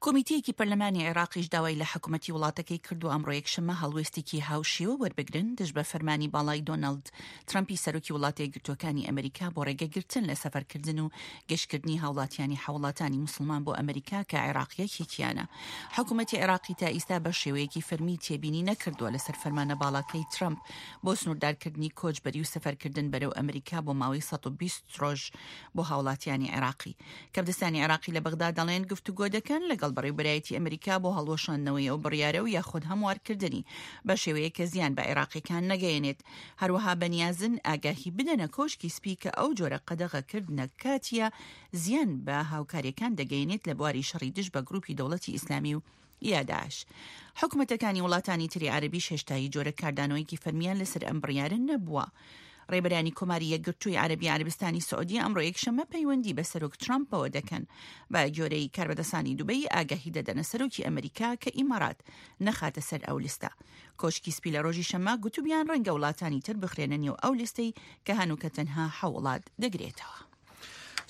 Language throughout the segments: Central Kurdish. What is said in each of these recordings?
کۆمیتەیەکی پەرلەمانی عێراقیش داوای لە حکومەتی وڵاتەکەی کردووە ئەمڕۆ یەکشەممە هەڵوێستێکی هاوشێوە وەربگرن دژ بە فەرمانی باڵای دۆناڵد ترەمپی سەرۆکی وڵاتە یەکگرتووەکانی ئەمریکا بۆ ڕێگەگرتن لە سەفەرکردن و گەشتکردنی هاوڵاتیانی حەوڵاتانی موسڵمان بۆ ئەمریکا کە عێراق یەکێکیانە. حکومەتی عێراقی تا ئیستا بە شێوەیەکی فەرمی تێبینی نەکردووە لەسەر فەرمانە باڵاکەی ترەمپ بۆ سنووردارکردنی کۆچبەری و سەفەرکردن بەرەو ئەمریکا بۆ ماوەی 120 ڕۆژ بۆ هاوڵاتیانی عێراقی. کەبدەستانی عێراقی لە بەغدا دەڵێن گفتوگۆ دەکەن لەگەڵ بەڕێوبەرایەتی ئەمریکا بۆ هەڵوەشاندنەوەی ئەو بڕیارە و یاخود هەموارکردنی بە شێوەیەک کە زیان بە عێراقیەکان نەگەیەنێت. هەروەها بەنیازن ئاگاهی بدەنە کۆشکی سپی کە ئەو جۆرە قەدەغەکردنە کاتیە زیان بە هاوکاریەکان دەگەیەنێت لە بواری شەڕی دژ بە گروپی دەوڵەتی ئیسلامی و یا داعش. حکومەتەکانی وڵاتانی تری عەرەبیش هێشتا هیچ جۆرە کاردانەوەیەکی فەرمیان لەسەر ئەم بڕیارە نەبووە. ڕێبەرانی کۆماری یەکگرتووی عەرەبی عەرەبستانی سعودیە ئەمڕۆ یەکشەممە پەیوەندی بە سەرۆک ترامپەوە دەکەن. بە گوێرەی کاربەدەستانی دوبەی ئاگاهی دەدەنە سەرۆکی ئەمریکا کە ئیمارات نەخاتە سەر ئەو لیستە. کۆشکی سپی لە ڕۆژی شەممە گوتوبیان ڕەنگە وڵاتانی تر بخرێنە نێو ئەو لیستەی کە هەنووکە تەنها حەو وڵات دەگرێتەوە.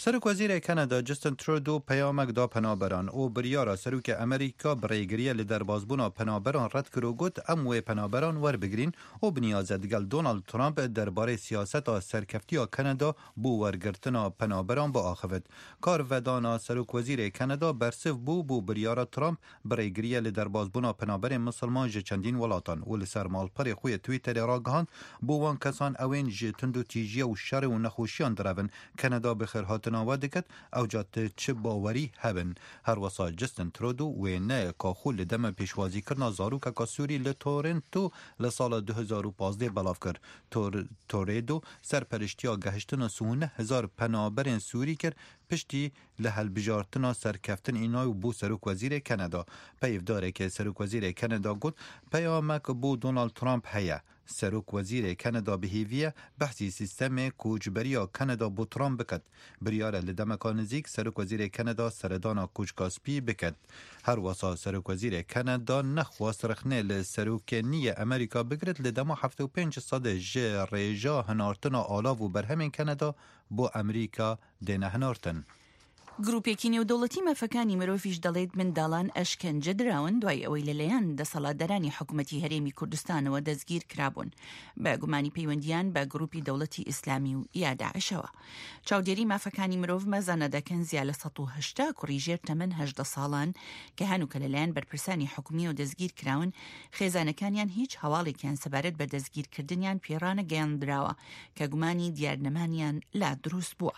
سەرۆک وەزیرê Kanada Justin Trudeau peyamek da penaberan û biryara Serokê Amerîka bi rêgiriye li derbasbûna penaberan red kir û got em wê penaberan werbigrîn û binîyaze digel Donald Trump derbarê siyaseta serkeftiya Kanada bo wergirtina penaberan biaxivit. Karvedana Serokwezîrê Kanada bersiv bû bo biryara Trump bi rêgiriye li derbasbûna penaberên misilman ji çendîn welatan û li ser malperê xwe yê Twitterê ragihand, bo wan kesan ew ên ji tundûtîjiye û şerê û nexweşiyan direvin, Kanada bi xêrhatina we diket, ewca ti çi bawerî hebin. Herwisa Justin Trudeau wêneyeka xwe li dema pêşwazîkirina zarokeka Sûrî li Toronto li sala 2015 belav kir. Trudeau serperiştiya gehiştina 39 hezar penaberên Sûrî kir, piştî Li hilbijartina serkeftin înay û bû serokwezîrê Keneda. Peyvdarekê serokwezîrê Keneda got, Peyamek bo Donald Trump heye. Serokwezîrê Keneda bi hêvî ye behsî sîstemê koçberiya Keneda bo Trump biket. Biryar e li demeka nizîk serokwezîrê Keneda seredana Koçka Spî biket. Herwesa serokwezîrê Keneda nexwest rexnê li serokê niyê Amerîka bigirit li dema 75 sedê ji rêja hinartina alav û berhemên Keneda bo Amerîka دێنە هەنارتن. گروپێکی نێودەوڵەتی مافەکانی مرۆڤیش دەڵێت منداڵان ئەشکەنجە دراون دوای ئەوەی لەلایەن دەسەڵاتدارانی حکومەتی هەرێمی کوردستانەوە دەستگیر کرابوون بە گومانی پەیوەندیان بە گروپی دەوڵەتی ئیسلامی و یا داعشەوە. چاودێری مافەکانی مرۆڤ مەزەنە دەکەن زیا لە 180 کوڕی ژێر تەمەن 18 ساڵان کە هەنووکە لەلایەن بەرپرسانی حکومیەوە دەستگیر کراون خێزانەکانیان هیچ هەواڵێکیان سەبارەت بە دەستگیرکردنیان پێڕانەگەیاندراوە کە گومانی دیارنەمانیان لا دروست بووە.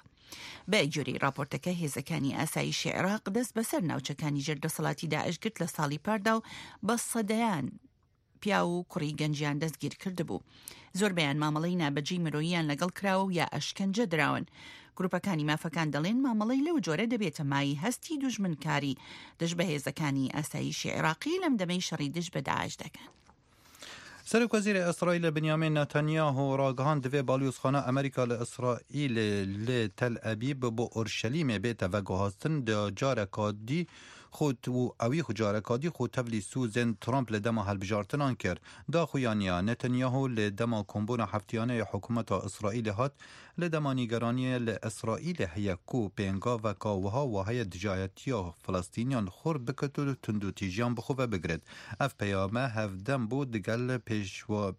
بە گوێرەی راپۆرتەکە هێزەکانی ئاسایشی عێراق دەست بەسەر ناوچەکانی ژێر دەسەڵاتی داعش گرت لە ساڵی پاردا و بە سەدەیان پیاو و کوڕی گەنجیان دەستگیر کردبوو. زۆربەیان مامەڵەی نابەجێی مرۆییان لەگەڵ کراوە و یا ئەشکەنجە دراون. گروپەکانی مافەکان دەڵێن مامەڵەی لەو جۆرە دەبێتە مایەی هەستی دوژمنکاری دژ بە هێزەکانی ئاسایشی عێراقی لەم دەمەی شەڕی دژ بە داعش دەکەن. Serokwezîrê Îsraîlê Binyamîn Netanyahu ragihand divê balyozxana Amerîka li Îsraîlê li Tel Ebîb bo Urşelîmê bête veguhastin di careka dî xwe û ewî xwe careka dî xwe tevlî sozên Trump li dema hilbijartinan kir. Daxuyaniya Netanyahu li dema kombûna heftiyane ya hikûmeta Îsraîlê hat Li dema nîgeraniyê li Îsraîlê heye ku pêngaveka wiha waheye dijayetiya Filistîniyan xurt biket û tundûtîjiyan bi xwe ve bigirit. Ev peyame hevdem bû digel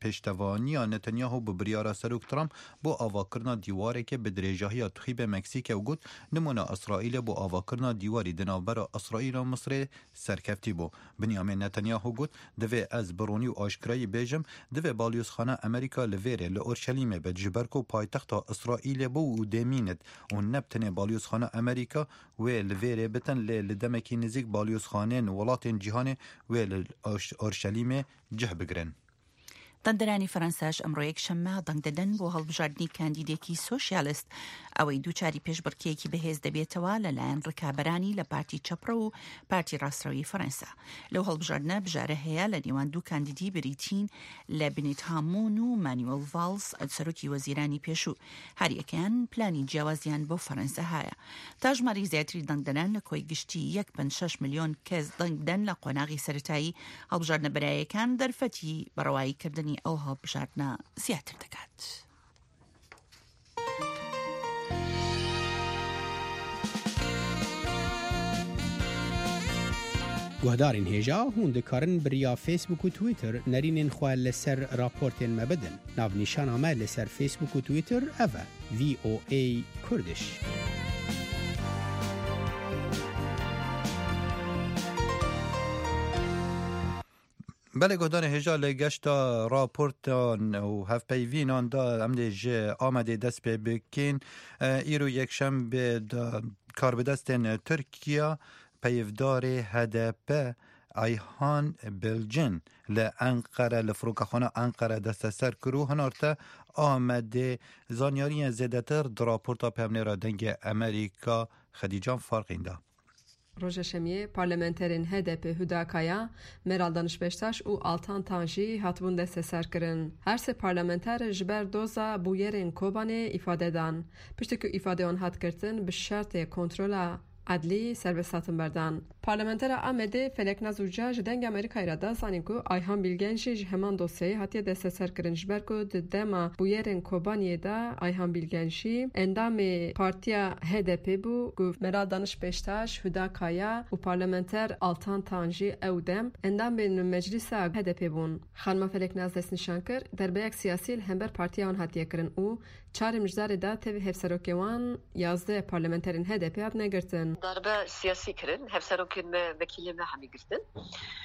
pêştevaniya Netanyahu bi biryara Serok Trump bo avakirina dîwarekê bi dirêjahiya Tuxîbê Meksîkê û got, Nimûna Îsraîlê bo avakirina dîwarî di navbera Îsraîl û Misirê serkeftî bû. Binyamîn Netanyahu got, Divê ez bi ronî û aşkirayî bêjim, divê balyozxana Amerîka li vêrê, li Urşelîmê be, ji ber ku paytexta Îsraîlê bû û dê mînit û ne bi tenê balyozxana Amerîka wê li vêrê bitin lê li demekî nêzîk balyozxanên welatên cîhanê wê li Urşelîmê cih bigirin. دەنگدەرانی فەرەنساش ئەمڕۆ یەکشەممە دەنگ دەدەن بۆ هەڵبژاردنی کاندیدێکی سۆشیالست ئەوەی دووچاری پێشبڕکێیەکی بەهێز دەبێتەوە لەلایەن ڕکابەرانی لە پارتی چەپڕەو و پارتی ڕاستڕەوی فەرەنسا. لەو هەڵبژاردنە بژارە هەیە لە نێوان دوو کاندیدی بریتین لە بنیت هامۆن و مانوێل ڤاڵس سەرۆکی وەزیرانی پێشوو. هەریەکەیان پلانی جیاوازیان بۆ فەرەنسا هایە. تا ژمارەی زیاتری دەنگدەران لە کۆی گشتی یەک پەنج شەش ملیۆن کەس دەنگ بدەن لە قۆناغی سەرەتایی هەڵبژاردنە بەرایەکان دەرفەتی بەڕەوایی کردنی ئەو هەڵبژاردنە زیاتر دەکات. Guhdarên hêja hûn dikarin bi riya Facebook û Twitter nerînên xwe li ser raportên me bidin. Navnîşana me li ser Facebook û Twitter ev e, VOA Kurdish. Belê guhdarên hêja li geşta raportan û hevpeyvînan de em dê ji Amedê dest pê bikin. Îro yekşembê de karbidestên Tirkiya peyvdarê HDP Ayhan Bilgin li Enqere li firokexana Enqere desteser kir û hinarte Amedê. Zanyariyên zêdetir di raporta pevnêra Dengê Amerîka Xedîcan Farqîn de. Roja Şemiyê parlamenterên HDP'ê Huda Kaya, Meral Daniş Beştaş û Altan Tan jî hatibûn desteserkirin. Her sê parlamenter ji ber doza bûyerên Kobanê îfade dan. Piştî ku îfadeyê wan hat girtin bi şertê kontrola edlî serbest hatin berdan. Parlamentera Amedê Feleknaz Uca ji Dengê Amerîkayê re da zanîn ku Ayhan Bîlgen jî ji heman dosyeyê hatiye desteserkirin ji ber ku di dema bûyerên Kobaniyê de Ayhan Bîlgen jî endamê partiya HDP'ê bû ku Meral Daniş Beştaş, Huda Kaya û parlamenter Altan Tan jî ew dem endamên Meclîsa HDP'ê bûn. Xanima Feleknaz destnîşan kir, derbeyek siyasî li hember partiya wan hatiye kirin û Çarê mijdarê de tevî hevserokê wan 11 parlamenterên HDP'ê hatine girtin. Darbe siyasî kirin, hevserokên me, vekîlên me hemî girtin.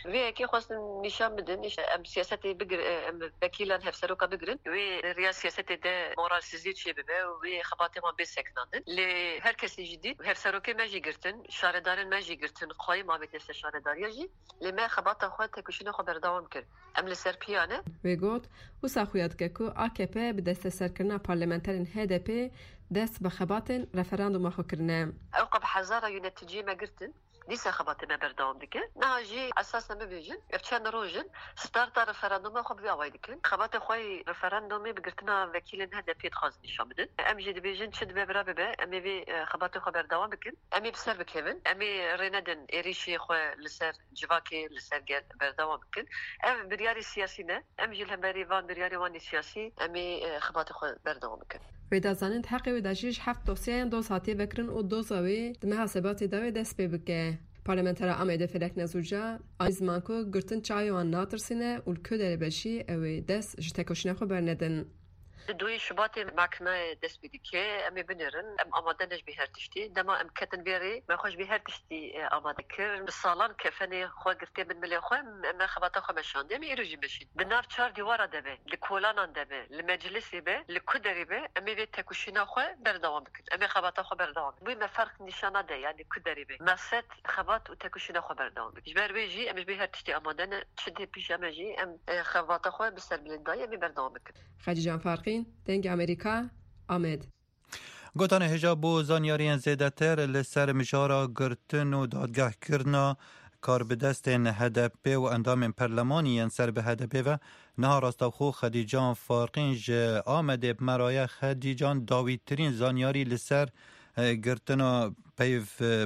Vê yekê xwestin nîşan bidin em siyasetê bigirin, em vekîlan hevseroka bigirin wê di riya siyasetê de moralsizî çêbibe û wê xebatên wan bê sekinandin. Lê her kesî jî dît hevserokên me jî girtin, şaredarên me jî girtin, qayim avêtine ser şaredariya jî. Lê me xebata xwe, têkoşîna xwe berdewam kir. Em li ser piya ne. Wê got, Wisa xuya dike ku akp bi desteserkirina parlamenterên HDP'ê dest bi xebatên referanduma xwe kirine. Ew qe bi hezara yûneticiyê me girtin. Dîsa xebatê me berdewam dike. Niha jî esas em bibêjin ev çend roj in starta referanduma xwe bi vî awayî dikin. Xebatê xwe yê referandumê bi girtina vekîlên HDP'ê dixwazin nîşan bidin. Em jî dibêjin çi dibe bira bibe em ê vê xebatê xwe berdewam bikin. Em ê bi ser bikevin. Em ê rê nedin êrîşê xwe li ser civakê, li ser gel berdewam bikin. Ev biryarê siyasî ne. Em jî li hemberî van biryarên wan ê siyasî em ê xebatê xwe berdewam bikin. Wê da zanîn di heqê wê de jî ji heft dosyayan doz hatiye vekirin û doza wê di meha Sebatê de wê dest pê bike. Parlamentera Amedê Feleknaz Uca anî ziman ku girtin çavê wan natirsîne û li ku derê be jî ew ê dest ji tekoşîna xwe bernedin. Di duyê Şubatê mehkemeyê dest pê dike. Em ê binêrin. Em amade ne ji bî her tiştî. Dema em ketin vê rê me xwe ji bî her tiştî amade kir. Bi salan kefenê xwe girtiye bin milê xwe. Me xebata xwe meşandiye. Em ê îro jî meşîn. Di nav çar dîwara de be, li kolanan de be, li meclisê be, li ku derê be em ê vê tekoşîna xwe berdewam bikin. Em ê xebata xwe berdewam bikin. Wê me ferq nîşan nade yanî ku derê be. Meqsed xebat û tekoşîna xwe berdewam bikin. Ji ber wê jî em ji bî her tiştî amade ne. Çi dê pîşa me jî em xebata xwe bi serbilindayî em ê berdewam bikin. Xecîcan Farqîn, Dengê Amerîka, Amed. Gotanê hêja bo zanyariyên zêdetir li ser mijara girtin û dadgehkirina karbidestên HDP û endamên perlemanî yên ser bi HDP'ê ve niha rastewxo Xedîcan Farqîn ji Amedê bi me re ye. Xedîcan dawîtirîn zanyarî li ser girtina peyv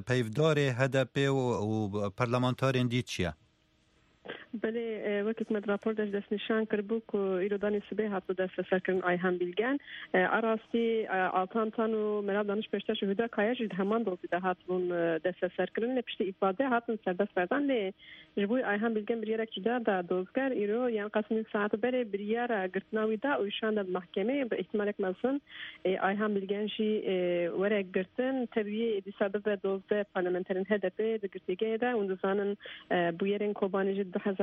peyvdarê HDP'ê û perlemantarên dî çi ye? Belê, wekî ku me di rapor de jî destnîşan kiribû ku îro danê sibê hatibû desteserkirin Ayhan Bîlgen. A rastî Altan Tan û Meral Daniş Beştaş û Huda Kaya jî di heman dozî de hatibûn desteserkirin lê piştî îfade hatin serbest berdan lê ji bo Ayhan Bîlgen biryarek cuda da dozger îro yan qasî nîv saet berê biryara girtina wî da û şande bi mehkemeyê bi îhtîmalek mezin Ayhan Bîlgen jî were girtin tevî wî dîsa bibe dozdeh parlamenterên HDP'ê di girtîgehê de hûn dizanin Bûyerên Kobanê jî di 2014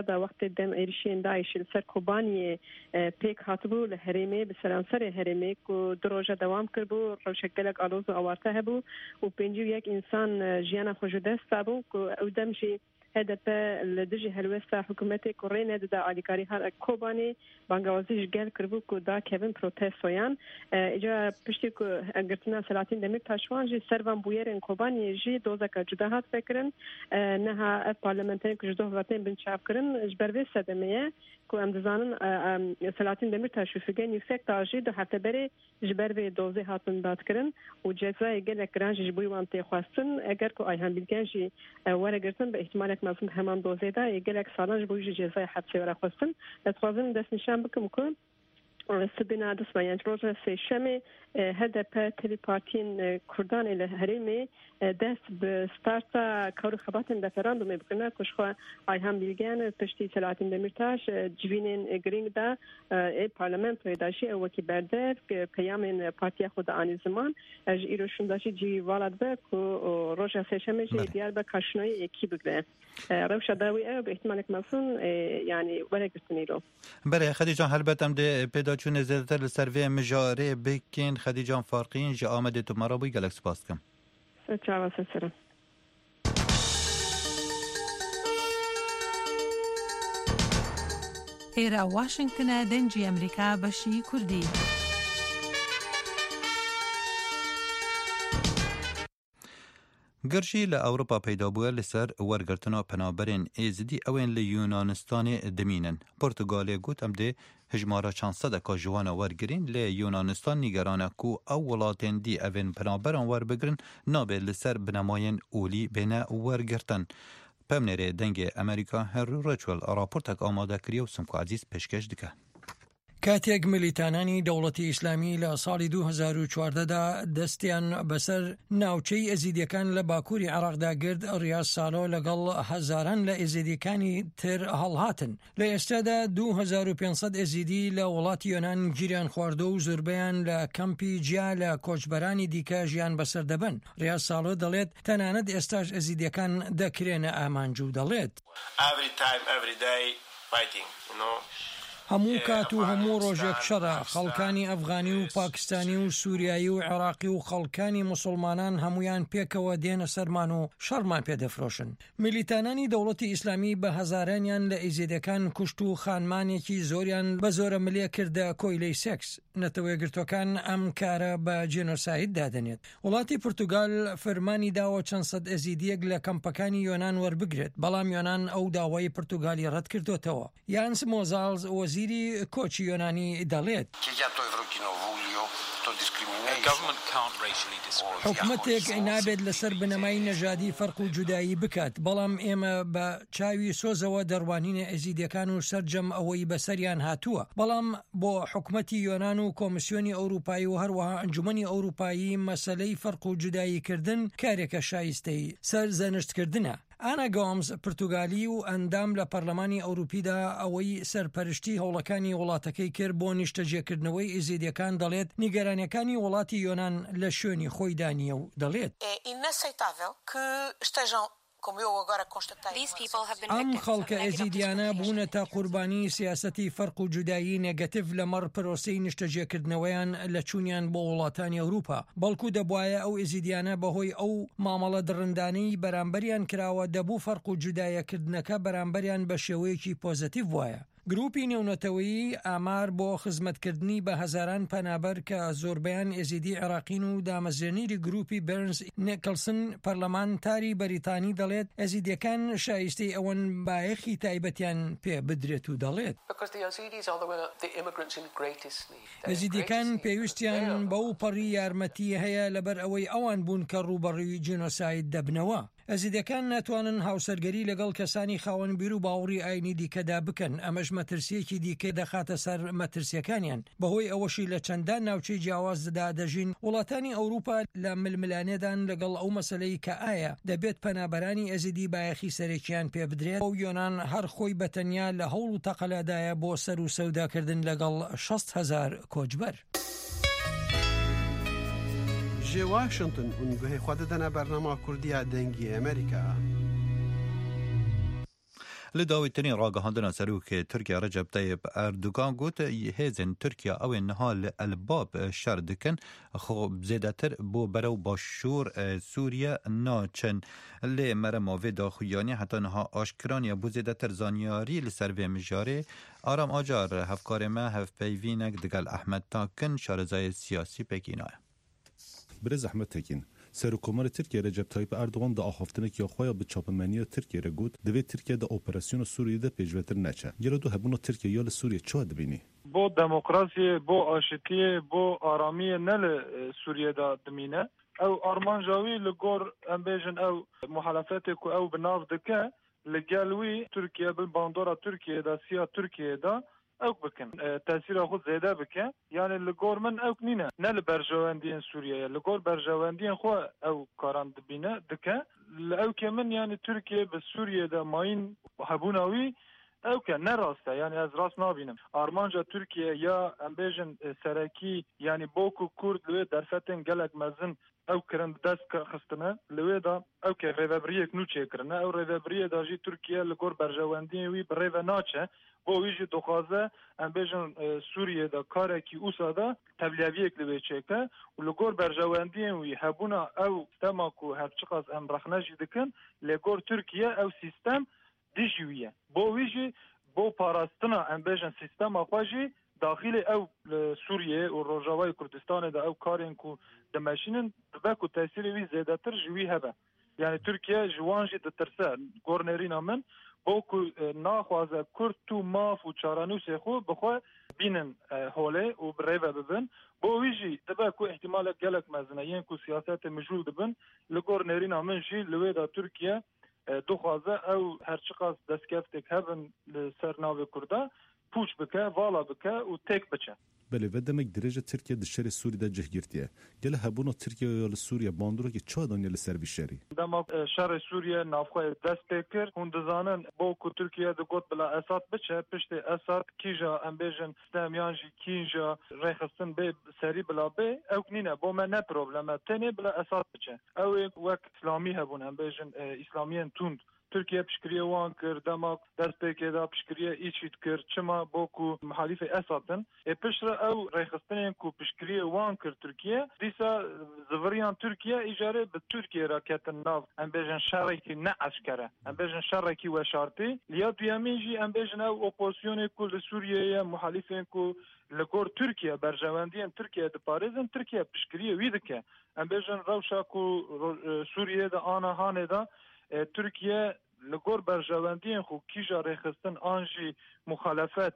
de wextê dem êrişiyên DAIŞ'ê li ser Kobaniyê pêk hatibû li herêmê bi seranserê herêmê ku du roje dewam kiribû rewşek gelek aloz û awarte hebû û 51 însan jiyana xwe ji dest dabû ku ew dem jî HDP li dijî helwesta hikûmetê ku rê nedida alîkarî Kobanê Bangawazî ji gel kiribû ku dakevin protestoyan. Îca piştî ku girtina Selahattin Demirtaş wan jî ser van bûyerên Kobaniyê jî dozeka cuda hat vekirin. Niha ev parlamenterên ku ji doh ve tên binçavkirin ji ber vê sedemê ye ku em dizanin Selahattin Demirtaş û Figen Yuksekdağ jî du hefte berê Ji ber vê dozê hatin dadkirin û cezayê gelek giran jî ji bo wan tê xwestin. Eger ku Ayhan Bîlgen jî were girtin bi îhtîmalek mezin di heman dozê de yê gelek salan ji bo wî jî cezayê hepsê were xwestin. Ez dixwazim destnîşan bikim ku sibêna dusme yan ji roja sêşemê HDP tevî partiyên Kurdan ê li herêmê. dest bi starta kar û xebatên referandûmê bikirina ku ji xwe Ayhan Bîlgen piştî Selahattin Demîrtaş civînên girîng de ê parlamentoyê de jî ew wekî berdevk peyamên partiya xwe dianî ziman. Ji îro şûnda jî cî vala dibe ku roja sêşemê jî diyar be ka şinoyê yê kî bigire. Rewşa dawî ew bi îhtimalek mezin yanî were girtin îro. Belê Xedîcan helbet em dê pêdaçûnê zêdetir li ser vê mijarê bikin. Xedîcan Farqîn ji Amedê tu me re bûyî gelek spas dikim. Ser çava ser sere. ئێرە واشنگتنە دەنگی ئەمریکا بەشی کوردی. Girjî li Ewropa peyda bûye li ser wergirtina penaberên Êzidî ew ên li Yûnanistanê dimînin. Portugalê got em dê hejmara çend sedeka ji wan wergirîn lê Yûnanistan nîgeran e ku ew welatên dî ev ên penaberan werbigirin nabê li ser binemayên olî bêne wergirtin. Pemnêrê Dengê Amerîka Henry Ridgwell raportek amade kiriye û Simko Ezîz pêşkêş dike. کاتێک ملیتانانی دەوڵەتی ئیسلامی لە ساڵی 2014 دا دەستیان بەسەر ناوچەی ئێزیدیەکان لە باکووری عێراقدا گرت، ڕیاز سالۆ لەگەڵ هەزاران لە ئێزیدیەکانی تر هەڵهاتن. لە ئێستادا 2500 ئێزیدی لە وڵاتی یۆنان گیریان خواردووە و زۆربەیان لە کەمپی جیا لە کۆچبەرانی دیکە ژیان بەسەر دەبەن. ڕیاز سالۆ دەڵێت تەنانەت ئێستاش ئێزیدیەکان دەکرێنە ئامانج و دەڵێت. Every time, every day fighting, you know. هەموو کات و هەموو ڕۆژێک شەڕە، خەڵکانی ئەفغانی و پاکستانی و سوریایی و عێراقی و خەڵکانی موسوڵمانان هەموویان پێکەوە دێنە سەرمان و شەڕمان پێ دەفرۆشن. میلیتانانی دەوڵەتی ئیسلامی بە هەزارانیان لە ئیزیدەکان کوشت و خانمانێکی زۆریان بە زۆرەملێ کردە کۆیلەی سێکس. نەتەوەیەکگرتووەکان ئەم کارە بە جینۆساید دادەنێت. وڵاتی پورتوگال فرمانی داوە چەند سەد ئێزیدییەک لە کەمپەکانی یۆنان وەربگرێت، بەڵام یۆنان ئەو داوای پورتوگالی ڕەتکردۆتەوە. یانس مۆزاڵز وەزیری کۆچی یۆنانی دەڵێت، حکومەتێک نابێت لەسەر بنەمای نەژادی فەرق و جودایی بکات، بەڵام ئێمە بە چاوی سۆزەوە دەڕوانینە ئێزیدیەکان و سەرجەم ئەوەی بەسەریان هاتووە، بەڵام بۆ حکومەتی یۆنان و کۆمسیۆنی ئەوروپایی و هەروەها ئەنجومەنی ئەوروپایی مەسەلەی فەرق و جودایی کردن کارێکە شایستەی سەرزەنشتکردنە. ئانا گۆمز، پرتوگالی و ئەندام لە پەرلەمانی ئەوروپیدا ئەوەی سەرپەرشتی هەوڵەکانی وڵاتەکەی کرد بۆ نیشتەجێکردنەوەی ئێزیدیەکان دەڵێت نیگەرانیەکانی وڵاتی یۆنان لە شوێنی خۆیدا نییە و دەڵێت. ئەم خەڵکە ئێزیدیانە بوونەتە قوربانی سیاسەتی فەرق و جودایی نێگەتیڤ لەمەڕ پرۆسەی نیشتەجێکردنەوەیان لە چوونیان بۆ وڵاتانی ئەوروپا، بەڵکو دەبوایە ئەو ئێزیدیانە بەهۆی ئەو مامەڵە دڕندانەی بەرامبەریان کراوە دەبوو فەرق و جودایەکردنەکە بەرامبەریان بە شێوەیەکی پۆزەتیڤ بوایە. گروپی نێونەتەوەیی ئامار بۆ خزمەتکردنی بە هەزاران پەنابەر کە زۆربەیان ئێزیدی عێراقین و دامەزرێنیری گروپی بێرنز نێکڵسن پەرلەمانتاری بەریتانی دەڵێت ئێزیدیەکان شایستەی ئەوەن بایەخی تایبەتیان پێ بدرێت و دەڵێت. ئێزیدیەکان پێویستیان بەو پەڕی یارمەتی هەیە لەبەر ئەوەی ئەوان بوون کە ڕووبەڕووی جینۆساید دەبنەوە. ئێزیدیەکان ناتوانن هاوسەرگەری لەگەڵ کەسانی خاوەن بیر و باوەڕی ئاینی دیکەدا بکەن، ئەمەش مەترسییەکی دیکە دەخاتە سەر مەترسییەکانیان، بەهۆی ئەوەشی لە چەندان ناوچەی جیاوازدا دەژین، وڵاتانی ئەوروپا لە ململانێدان لەگەڵ ئەو مەسەلەی کە ئایا دەبێت پەنابەرانی ئێزیدی بایەخی سەرەکییان پێبدرێت و یۆنان هەر خۆی بە تەنیا لە هەوڵ و تەقەلادایە بۆ سەر و سەوداکردن لەگەڵ 60 هەزار کۆچبەر. Ji Washington hûn guhê xwe didine bernama Kurdî ya Dengê Amerîka. Li dawîtirîn ragihandina Serokê Tirkiye Recep Tayyip Erdogan got, hêzên Tirkiye ew ên niha li El Bab şer dikin xwe zêdetir bo berew başûr Sûriye naçin. Lê merema vê daxuyaniyê heta niha aşkira niye bo zêdetir zanyarî li ser vê mijarê Aram Acar hevkarê me hevpeyvînek digel Ahmet Takin şarezayê siyasî pêk înaye. Birêz Ahmet Tekin, Serokkomarê Tirkiyê Recep Tayyip Erdogan di axaftinekî xwe ya bi çapemeniya Tirkiyê re got, divê Tirkiye di operasyona Sûriyê de pêşvetir neçe. Gelo tu hebûna Tirkiyê ya li Sûriyê çawa dibînî? Bo demokrasiyê, bo aşitiyê, bo aramiyê ne li Sûriyê de dimîne. Ew armanca wî li gor em bêjin ew muhalefetê ku ew bi nav dike, li gel wî Tirkiye bin bandora Tirkiyê de, siya Tirkiyê de. ئەوک بکن تەسیرا خو زێدە بکە یانێ li gor min ewk nîne ne li berjewendiyên Sûriyeyê li gor berjewendiyên xwe ew karan dibîne dike li ewkê min yanî Tirkiye bi Sûriyê de mayîn hebûna wî ewk e ne rast e yanî ez rast nabînim armanca Tirkiye ya em bêjin serekî yanî bo ku Kurd li wê derfetên gelek mezin ew kirin bi dest xistine li wê de ewkê rêvebiriyek nû çêkirine ew rêvebiriyê de jî Tirkiye li gor berjewendiyên wî bi rêve naçe Bo wî jî dixwaze em bêjin Sûriyê de karekî wisa de tevliheviyek li wê çêke û li gor berjewendiyên wî hebûna ew sîstema ku her çiqas em rexne jî dikin lê gor Tirkiye ew sîstem dijî wî ye. Bo wî jî bo parastina em bêjin sîstema xwe jî daxîlê ew li Sûriyê û Rojavayê Kurdistanê de ew karên ku dimeşînin dibe ku tesîrê wî zêdetir ji wî hebe. Yanî Tirkiye ji wan jî ditirse. Gor nêrîna min bo ku naxwaze Kurd tu maf û çarenûsê xwe bi xwe bînin holê û bi rêve bibin. Bo wî jî dibe ku îhtîmalek gelek mezin e yên ku siyasetê mijûl dibin. Li gor nêrîna min jî li wê de Tirkiye dixwaze ew her çiqas destkeftek hebin li ser navê Kurda pûç bike, vala bike û têk biçe. Belê ve demek dirêj e Tirkiye di şerê Sûrî de cih girtiye. Gelo hebûna Tirkiyeyê ya li Sûriye bandoreke çawa daniye li ser vî şerî? Dema şerê Sûriye navxweyê dest pê kir, hûn dizanin bo ku Tirkiye digot bila Esad biçe, piştê Esad kîja em bêjin stem yan jî kîja rêxistin bê serî bila bê, ewk nîne bo me ne problem e, tenê bila Esad biçe. Ew ê wek îslamî hebûn em bêjin îslamiyên tund Tirkiye piştgiriyê wan kir, dema destpêkê de piştgiriyê IŞID kir, çima bo ku muhalîfê Esad in. Ê piştre ew rêxistinên ku piştgiriyê wan kir Tirkiye, dîsa ziviriyan Tirkiye, îcarê bi Tirkiyê re ketin nav em bêjin şerekî ne eşkere, em bêjin şerekî weşartî. Li ya duyemîn jî em bêjin ew opozisyonê ku li Sûriyeyê ye, muhalîfên ku li gor Tirkiye berjewendiyên Tirkiyeyê diparêzin, Tirkiye piştgiriyê wî dike. Em bêjin rewşa ku Sûriyeyê de ana hanê de Tirkiye li gor berjewendiyên xwe kîja rêxistin an jî muxalefet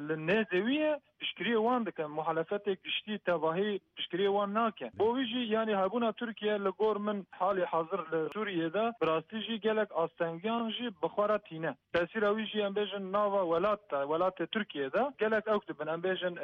li nêzê wî ye piştgiriyê wan dike. Muxalefetê giştî tevahî piştgiriyê wan nake. Bo wî jî yanî hebûna Tirkiye li gor min halê hazir li Sûriyê de bi rastî jî gelek astengiyan jî bi xwe re tîne. Tesîra wî jî em bêjin nava welat de, welatê Tirkiyê de gelek ewk dibin. Em bêjin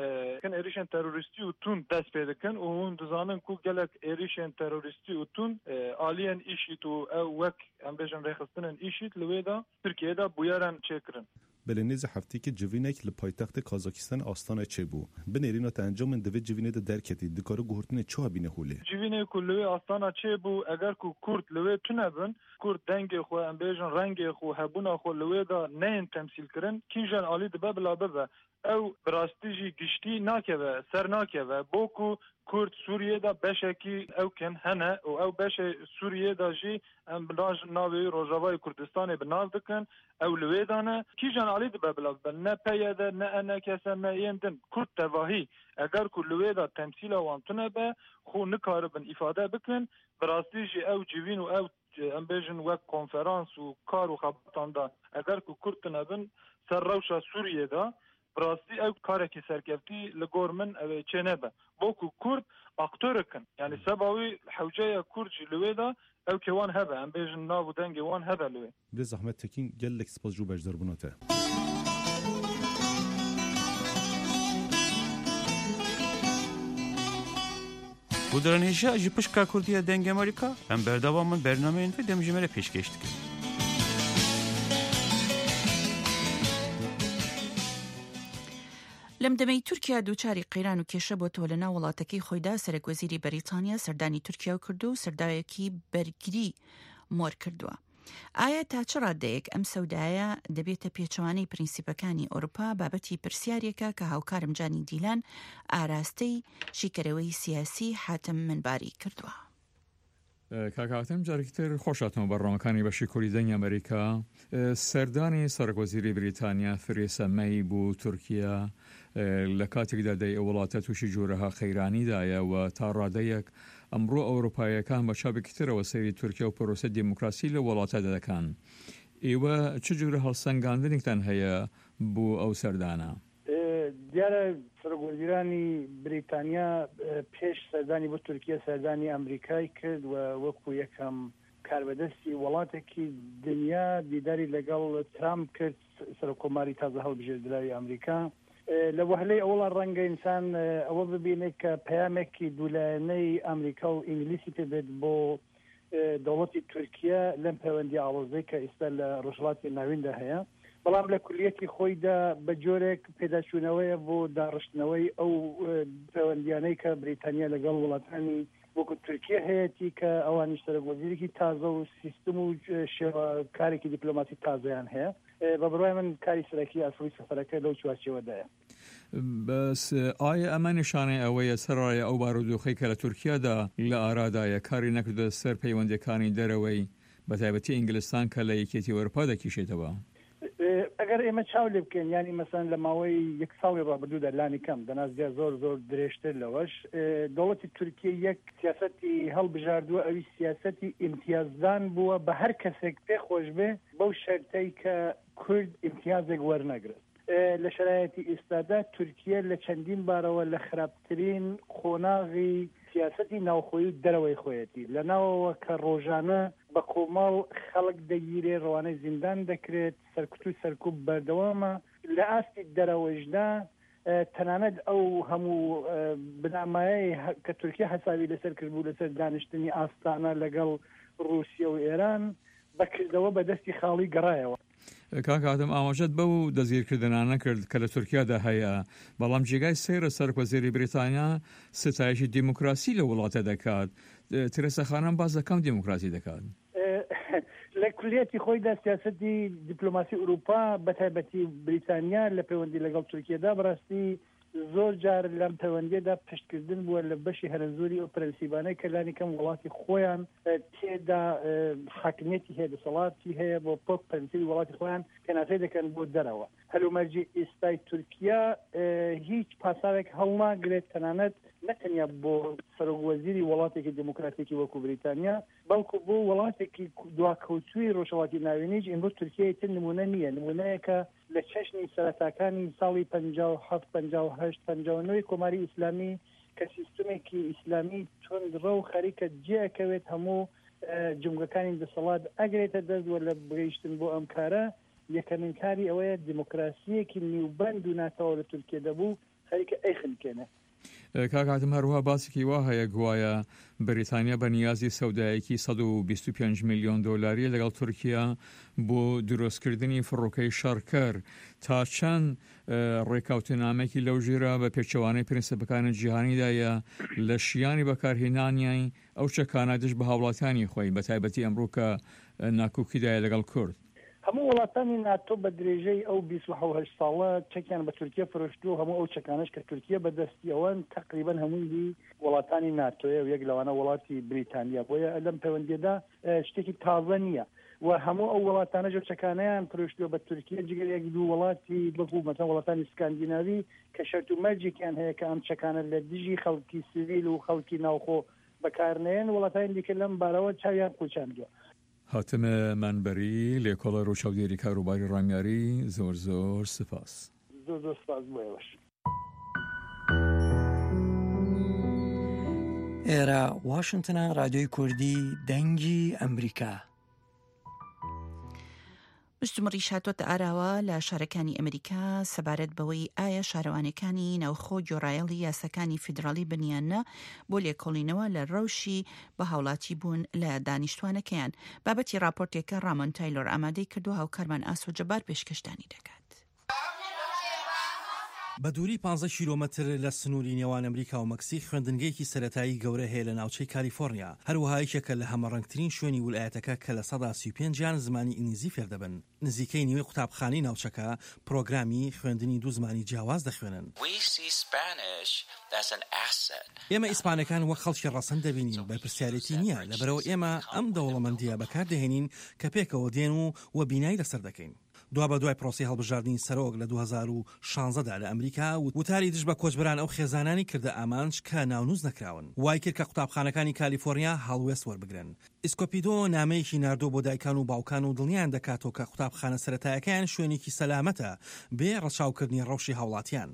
hin êrîşên terorîstî û tund dest pê dikin û hûn dizanin ku gelek êrîşên terorîstî û tund aliyên IŞID û ew wek em bêjin rêxistinên IŞID li wê de Tirkiyeyê de bûyeren çêkirin. Belê nêzî hefteyekê civînek li paytextê Kazakistanê Astanayê çêbû. Bi nêrîna te encamên di vê civînê de derketî, dikare guhertinê çawa bîne holê? Civînê ku li wê Astana çêbû, eger ku Kurd li wê tune bin, Kurd dengê xwe, em bêjin rengê xwe, hebûna xwe li wê de neyên temsîlkirin, kîjan alî dibe bila bibe, ew bi rastî jî giştî nakeve, ser nakeve. Bo ku Kurd Sûriyê de beşekî ew kin hene û ew beşê Sûriyê de jî em bi navê wî Rojavayê Kurdistanê bi nav dikin, ew li wê de ne. Kîjan alî dibe bila bibe, ne PYD, ne ENKS, ne yên din, Kurd tevahî eger ku li wê de temsîla wan tune be, xwe nikaribin îfade bikin, Bi rastî jî ew civîn û ew em bêjin wek konferans û kar û xebatan de eger ku Kurd tune bin ser rewşa Sûriyê de bi rastî ew karekî serkeftî li gor min ew ê çênebe. Bo ku Kurd aktorik in. Yanî seba wî hewce ye Kurd jî li wê de ewkê wan hebe em bêjin nav û dengê wan hebe li wê. Birêz Ahmet Tekîn gelek spas ji bo beşdarbûna te. Guhdaran hêja ji pişka Kurdî ya Dengê Amerîka em berdewam in bernameyên vê demjimêrê pêşkêş dikin. لەم دەمەی تورکیا دووچاری قەیران و کێشە بۆتەوە لە ناو وڵاتەکەی خۆیدا سەرەک وەزیری بەریتانیا سەردانی تورکیا و کردو و سەرداوێکی بەرگری مۆر کردووە. ئایا تا چ ڕادەیەک ئەم سەودایە دەبێتە پێچەوانەی پرینسیپەکانی ئەوروپا بابەتی پرسیارێکە کە هاوکارم جانی دیلان ئاراستەی شیکەرەوەی سیاسی حاتم منباری کردووە. کاک حاتم جارێکی تر خۆش هاتنەوە بەرنامەکانی بەشی کوردی دەنگی ئەمریکا. سەردانی سەرۆک وەزیری بریتانیا تریسا مەی بۆ تورکیا لە کاتێکدا دەی ئەو وڵاتە تووشی جۆرەها قەیرانیدایە و تا ڕادەیەک ئەمڕۆ ئەوروپاییەکان بە چاوێکی ترەوە سەیری تورکیا و پرۆسەی دیموکراسی لەو وڵاتەدا دەکەن. ئێوە چ جۆرە هەڵسەنگاندنێکتان هەیە بۆ ئەو سەردانە؟ دیارە سەرۆکوەزیرانی بریتانیا پێش سەردانی بۆ تورکیە سەردانی ئەمریکای کرد و وەکو یەکەم. کاربەدەستی وڵاتێکی دنیا دیداری لەگەڵ ترامپ کرد، سەرۆککۆماری تازە هەڵبژێردراوی ئەمریکا. لە وەهلەی ئەوەڵا ڕەنگە ئینسان ئەوە ببینێت کە پەیامێکی دوولایەنەی ئەمریکا و ئینگلیسی پێ بێت بۆ دەوڵەتی تورکیە لەم پەیوەندی ئاڵۆزەی کە ئیستا لە ڕۆژهەڵاتی ناویندا هەیە، بەڵام لە کولیەتی خۆیدا بە جۆرێک پێداچوونەوەیە بۆ داڕشتنەوەی ئەو پەیوەندیانەی کە بریتانیا لەگەڵ وڵاتانی وەکو تورکیە هەیەتی کە ئەوانیش سەرۆک وەزیرێکی تازە و سیستم و شێوە کارێکی دیپلۆماسی تازەیان هەیە. بە بڕوای من کاری سەرەکی ئەسڵی سەفەرەکە لەو چوارچێوەدایە. بەس ئایا ئەمە نیشانەی ئەوەیە سەرەڕای ئەو بارودۆخەی کە لە تورکیادا لە ئارادایە کاری نەکردۆتە سەر پەیوەندیەکانی دەرەوەی بەتایبەتی ئینگلستان کە لە یەکێتی ئەوروپا دەکیشێتەوە؟ ئەگەر ئێمە چاو لێ بکەین یانی مەسەلەن لە ماوەی یەک ساڵی ڕابردوودا لانی کەم دەنا زیاد زۆر زۆر درێژتر لەوەش دەوڵەتی تورکیە یەک سیاسەتی هەڵبژاردووە ئەویش سیاسەتی ئیمتیازدان بووە بە هەر کەسێک پێ خۆش بێ بەو شەرتەی کە کورد ئیمتیازێک وەرنەگرن. لە شەرایەتی ئیستادا تورکیە لە چەندین بارەوە لە خراپترین قۆناغی سیاسەتی ناوخۆیی و دەرەوەی خۆیەتی. لە ناوەوە کە ڕۆژانە بە کۆمەڵ خەڵک دەگیرێ، ڕەوانەی زیندان دەکرێت، سەرکوت و سەرکوب بەردەوامە. لە ئاستی دەرەوەیشدا تەنانەت ئەو هەموو بنامایەی کە تورکیە حەسابی لەسەر کردبوو لەسەر دانیشتنی ئاستانە لەگەڵ ڕووسیە و ئێران، بە کردەوە بە دەستی خاڵی گەڕایەوە. کاک ئادەم ئاماژەت بەو دەستگیرکردنانە کرد کە لە تورکیادا هەیە، بەڵام جێگای سەیرە سەرۆکوەزیری بریتانیا ستایشی دیموکراسی لەو وڵاتە دەکات، ترێسا خانم باس لە کام دیموکراسی دەکات؟ لە کولیەتی خۆیدا سیاسەتی دیپلۆماسی ئورووپا بەتایبەتی بریتانیا لە پەیوەندی لەگەڵ تورکیەدا بەڕاستی زۆر جار لەم پەیوەندیەدا پشتکردن بووە لە بەشی هەرەزۆری ئەو پرەنسیبانەی کە لانی کەم وڵاتی خۆیان تێدا حاکمیەتی هەیە، دەسەڵاتی هەیە بۆ پۆک پرەنسیبی وڵاتی خۆیان پێناسەی دەکەن بۆ دەرەوە. هەلومەرجی ئیستای تورکیا هیچ پاساوێک هەڵناگرێت تەنانەت نە تەنیا بۆ سەرۆک وەزیری وڵاتێکی دێموکراتیکی وەکوو بریتانیا بەڵکو بۆ وڵاتێکی دواکەوتووی ڕۆژهەڵاتی ناوینیش ئیمڕۆ تورکیا ئیتر نموونە نییە، نموونەیەکە لە چەشنی سەرەتاکانی ساڵی 57، 58، 59 ی کۆماری ئیسلامی کە سیستمێکی ئیسلامی توندڕەو خەریکە جێ ئەکەوێت هەموو جومگەکانی دەسەڵات ئەگرێتە دەست و لە گەیشتن بۆ ئەم کارە یەکەمین کاری ئەوەیە دیموکراسییەکی نیوبەند و ناتەواو لە تورکیە دەبوو خەریکە ئەیخنکێنێ. کاک حاتم هەروەها باسێکی وا هەیە گوایە بەریتانیا بە نیازی سەودایەکی 125 ملیۆن دۆلاریە لەگەڵ تورکیا بۆ دروستکردنی فڕۆکەی شەڕکەر تا چەند ڕێککەوتنامەیەکی لەو ژێرە بە پێچەوانەی پرنسپەکانی جیهانیدایە لە شیانی بەکارهێنانیان ئەو چەکانە دژ بە هاوڵاتیانی خۆی بە تایبەتی ئەمڕۆ کە ناکۆکیدایە لەگەڵ کورد. هەموو وڵاتانی ناتۆ بە درێژەی ئەو 28 ساڵە چەکیان بە تورکیە فرۆشتووە و هەموو ئەو چەکانەش کە تورکیە بە دەستیەوەن تەقریبەن هەمووی هی وڵاتانی ناتۆیە و یەک لەوانە وڵاتی بریتانیا بۆیە لەم پەیوەندیەدا شتێکی تازە نییە و هەموو ئەو وڵاتانەش ئەو چەکانەیان فرۆشتووە بە تورکیە جگە لە یەک دوو وڵاتی وەکوو مەسەلەن وڵاتانی سکاندیناوی کە شەرت و مەرجێکیان هەیە کە ئەم چەکانە لە دژی خەڵکی سڤیل و خەڵکی ناوخۆ بەکارنەیەن وڵاتانی دیکە لەم بارەوە چاویان قوچاندووە. حاتم مەنبەری، لێکۆڵەر و چاودێری کاروباری ڕامیاری، زۆر زۆر سپاس. زۆر زۆر سپاس بۆ ئێوەش. ئێرە واشنتنە رادیۆی کوردی دەنگی ئەمریکا. مشتومڕیش هاتۆتە ئاراوە لە شارەکانی ئەمریکا سەبارەت بەوەی ئایا شارەوانیەکانی ناوخۆ گۆڕایەڵی یاساکانی فیدراڵی بن یان نا بۆ لێکۆڵینەوە لە ڕەوشی بە هاوڵاتی بوون لە دانیشتوانەکەیان. بابەتی ڕاپۆرتێکە ڕامۆن تایلۆر ئامادەی کردووە هاوکارمان ئاسۆ جەبار پێشکەشتانی دەکات. بە دووری پانزە کیلۆمەتر لە سنووری نێوان ئەمریکا و مەکسیک خوێندنگەیەکی سەرەتایی گەورە هەیە لە ناوچەی کالیفۆرنیا، هەروەها یەکێکە لە هەمەڕەنگترین شوێنی ولایەتەکە کە 35% یان زمانی ئینگلیزی فێردەبن. نزیکەی نیوەی قوتابخانەی ناوچەکە پرۆگرامی خوێندنی دوو زمانی جیاواز دەخوێنن. ئێمە ئیسپانەکان وەک خەڵکی ڕەسەن دەبینین، بەرپرسیارێتی نییە، لەبەرئەوە ئێمە ئەم دەوڵەمەندییە بەکاردەهێنین کە پێکەوە دێن و و بینای لەسەر دەکەین. دوابەدوای پرۆسەی هەڵبژاردنی سەرۆک لە 2016 دا لە ئەمریکا، وتاری دژ بە کۆچبەران ئەو خێزانانی کردە ئامانج کە ناونووس نەکراون، وای کرد کە قوتابخانەکانی کالیفۆرنیا هەڵوێست وەربگرن. ئیسکۆپیدۆ نامەیەکی ناردووە بۆ دایکان و باوکان و دڵنیایان دەکاتەوە کە قوتابخانە سەرەتایەکەیان شوێنێکی سەلامەتە بێ ڕەچاوکردنی ڕەوشی هاوڵاتیان.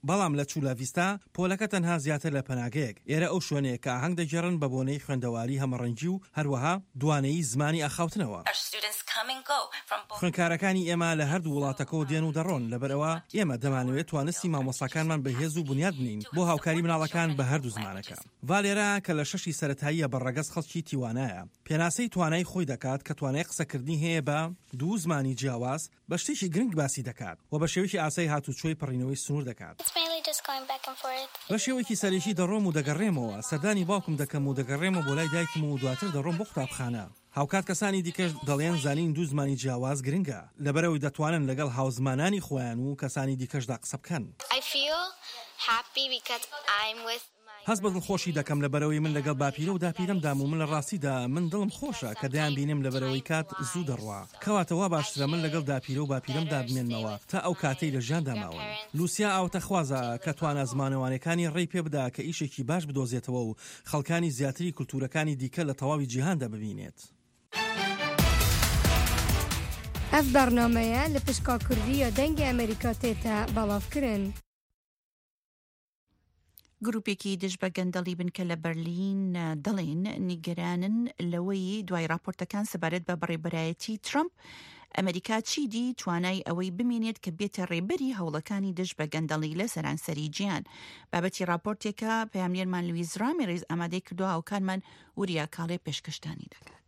بەڵام لە چولا ڤیستا، پۆلەکە تەنها زیاتر لە پەناگەیەک. ئێرە ئەو شوێنەیە کە ئاهەنگ دەگێڕن بە بۆنەی خوێندەواری هەمەڕەنگی و هەروەها دوانەیی زمانی ئاخاوتنەوە. خوێندکارەکانی ئێمە لە هەردوو وڵاتەکەوە دێن و دەڕۆن، لەبەرئەوە ئێمە دەمانەوێت توانستی مامۆستاکانمان بەهێز و بونیاد بنێین بۆ هاوکاری مناڵەکان بە هەردوو زمانەکە. ڤالێرا کە لە شەشی سەرەتاییە بە ڕەگەز خەڵکی تیوانایە، پێناسەی توانای خۆی دەکات کە توانای قسەکردنی هەیە بە دوو زمانی جیاواز، بە شتێکی گرنگ باسی دەکات و بە شێوەیەکی ئاسایی هاتووچۆی پەڕینەوەی سنوور دەکات. بە شێوەیەکی سەرەکی دەڕۆم و دەگەڕێمەوە، سەردانی باوکم دەکەم و دەگەڕێمەوە بۆ لای دایکم و دواتر دەڕۆم بۆ قوتابخانە. هاوکات کەسانی دیکەش دەڵێن زانینی دوو زمانی جیاواز گرنگە، لەبەرئەوەی دەتوانن لەگەڵ هاوزمانانی خۆیان و کەسانی دیکەشدا قسە بکەن. هەست بە دڵخۆشی دەکەم لەبەرئەوەی من لەگەڵ باپیرە و داپیرەمدام و من لە ڕاستیدا من دڵم خۆشە کە دەیانبینم لەبەرئەوەی کات زوو دەڕوا کەواتە وا باشترە من لەگەڵ داپیرە و باپیرەمدا بمێنمەوە تا ئەو کاتەی لە ژیاندا ماون. لوسیا ئاوتەخوازە کە توانا زمانەوانیەکانی ڕێی پێ بدا کە ئیشێکی باش بدۆزێتەوە و خەڵکانی زیاتری کولتوورەکانی دیکە لە تەواوی جیهاندا ببینێت. Ev bernameye li pişka Kurdî ya Dengê Amerîka tête belavkirin. گروپێکی دژ بە گەندەڵی بنکە لە بەرلین دەڵێن نیگەرانن لەوەی دوای راپۆرتەکان سەبارەت بە بەڕێبەرایەتی ترەمپ ئەمریکا چیدی توانای ئەوەی بمێنێت کە بێتە ڕێبەری هەوڵەکانی دژ بە گەندەڵی لە سەرانسەری جیهان. بابەتی راپۆرتێکە پەیامنێرمان لویز رامیرێز ئامادەی کردووە هاوکارمان وریا کاڵێ پێشکەشتانی دەکات.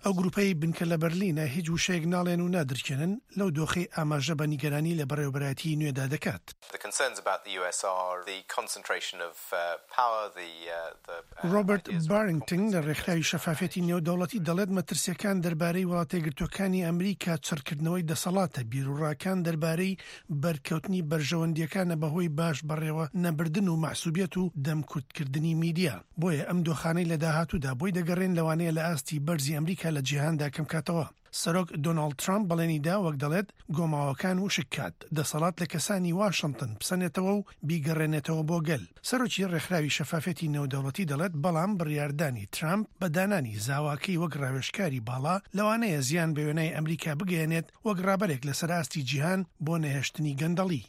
ئەو گروپەی بنکە لە بەرلینە هیچ وشەیەک ناڵێن و نادرکێنن لەو دۆخەی ئاماژە بە نیگەرانی لە بەڕێوەبەرایەتیی نوێدا دەکات. ڕۆبەرت بارینگتن لە ڕێکخراوی شەفافیەتی نێودەوڵەتی دەڵێت مەترسییەکان دەربارەی وڵاتەیەکگرتووەکانی ئەمریکا چڕکردنەوەی دەسەڵاتە، بیروڕاکان دەربارەی بەرکەوتنی بەرژەوەندییەکانە بەهۆی باش بەڕێوە نەبردن و مەحسوبیەت و دەمکوتکردنی میدیا. بۆیە ئەم دۆخانەی لە داهاتوودا بۆی دەگەڕێن لەوانەیە لە ئاستی بەرزی ئەمریکا لە جیهاندا کەمکاتەوە. سەرۆک دۆناڵد ترامپ بەڵێنی دا وەک دەڵێت گۆماوەکان وشک کات، دەسەڵات لە کەسانی واشنتن بسەنێتەوە و بیگەڕێنێتەوە بۆ گەل. سەرۆکی ڕێکخراوی شەفافیەتی نێودەوڵەتی دەڵێت بەڵام بڕیاردانی ترامپ بە دانانی زاواکەی وەک ڕاوێژکاری باڵا لەوانەیە زیان بە وێنای ئەمریکا بگەیەنێت وەک ڕابەرێک لەسەر ئاستی جیهان بۆ نەهێشتنی گەندەڵی.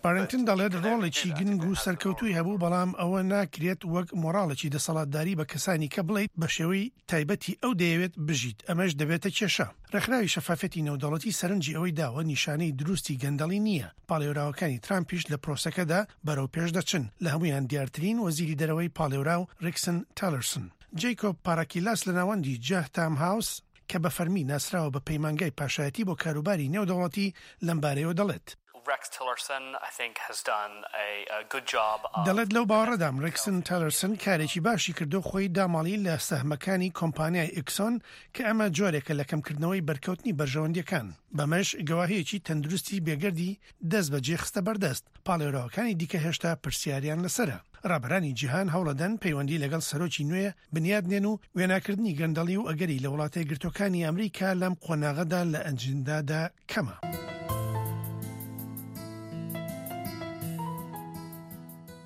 بارینگتن دەڵێت ڕۆڵێکی گرنگ و سەرکەوتووی هەبوو، بەڵام ئەوە ناکرێت وەک مۆڕاڵێکی دەسەڵاتداری بە کەسانی کە بڵێیت بە شێوەی تایبەتی ئەو دەیەوێت بژیت، ئەمەش دەبێتە کێشە. ڕێکخراوی شەفافیەتی نێودەوڵەتی سەرنجی ئەوەی داوە نیشانەی دروستی گەندەڵی نییە، پاڵێوراوەکانی ترامپیش لە پرۆسەکەدا بەرەو پێش دەچن، لە هەموویان دیارترین وەزیری دەرەوەی پاڵێوراو ڕیکسن تیلەرسن. جەیکۆب پاراکیلاس لە ناوەندی جەهتام هاوس، کە بە فەرمی ناسراوە بە پەیمانگای پاشایەتی بۆ کاروباری نێودەوڵەتی، لەمبارەیەوە دەڵێت. دەڵێت لەو باوەڕەدام ڕێکسن تیلەرسن کارێکی باشی کردو خۆی داماڵی لە سەهمەکانی کۆمپانیای ئیکسۆن کە ئەمە جۆرێکە لە کەمکردنەوەی بەرکەوتنی بەرژەوەندیەکان، بەمەش گەواهیەکی تەندروستی بێگەردی دەستبەجێ خستە بەردەست، پاڵێوراوەکانی دیکە هێشتا پرسیاریان لەسەرە. ڕابەرانی جیهان هەوڵەدەن پەیوەندی لەگەڵ سەرۆکی نوێ بنیادنێن و وێناکردنی گەندەڵی و ئەگەری لە وڵاتەیەکگرتووەکانی ئەمریکا لەم قۆناغەدا لە ئەجندادا کەمە.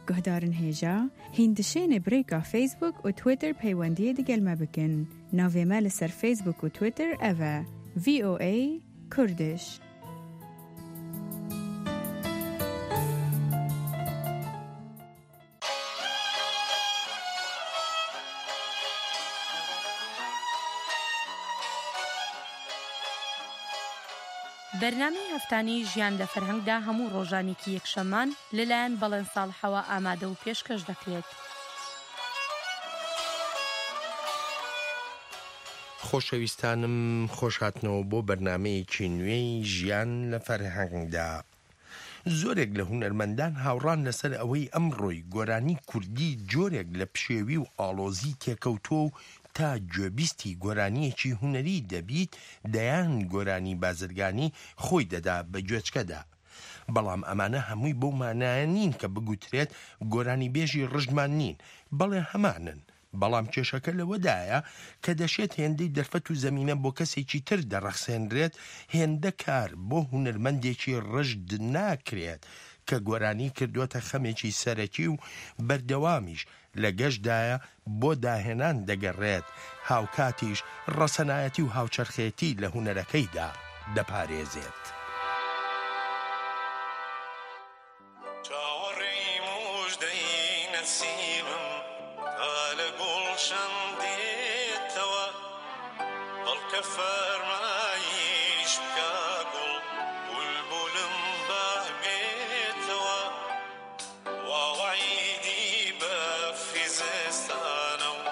Guhdarên hêja, hîn dişênê bi rêka Facebook û Twitter peywendiyê digel me bikin. Navê me li ser Facebook û Twitter ev e, VOA Kurdish. بەرنامەی هەفتانەی ژیان لە فەرهەنگدا هەموو ڕۆژانێکی یەکشەممان لەلایەن بەڵێن ساڵحەوە ئامادە و پێشکەش دەکرێت. خۆشەویستانم خۆشهاتنەوە بۆ بەرنامەیەکی نوێی ژیان لە فەرهەنگدا. زۆرێک لە هونەرمەندان هاوڕان لەسەر ئەوەی ئەمڕۆی گۆرانی کوردی جۆرێک لە پشێوی و ئاڵۆزی تێکەوتووە و تا گوێبیستی گۆرانییەکی هونەری دەبیت دەیان گۆرانی بازرگانی خۆی دەدا بە گوێچکەدا. بەڵام ئەمانە هەمووی بەو مانایە نین کە بگوترێت گۆرانیبێژی ڕژدمان نین، بەڵێ هەمانن، بەڵام کێشەکە لەوەدایە کە دەشێت هێندەی دەرفەت و زەمینە بۆ کەسێکی تر دەڕەخسێنرێت، هێندە کار بۆ هونەرمەندێکی ڕژد ناکرێت کە گۆرانی کردووەتە خەمێکی سەرەکی و بەردەوامیش لە گەشتدایە بۆ داهێنان دەگەڕێت، هاوکاتیش ڕەسەنایەتی و هاوچەرخێتی لە هونەرەکەیدا. دەپارێزێت. چاوەڕێی موژدەی نەسیمم تا لە گوڵشەن دێتەوە بەڵکە فەرمایش بکا گوڵ بولبولم با بێتەوە وا وەعیدی بەفری زستانە و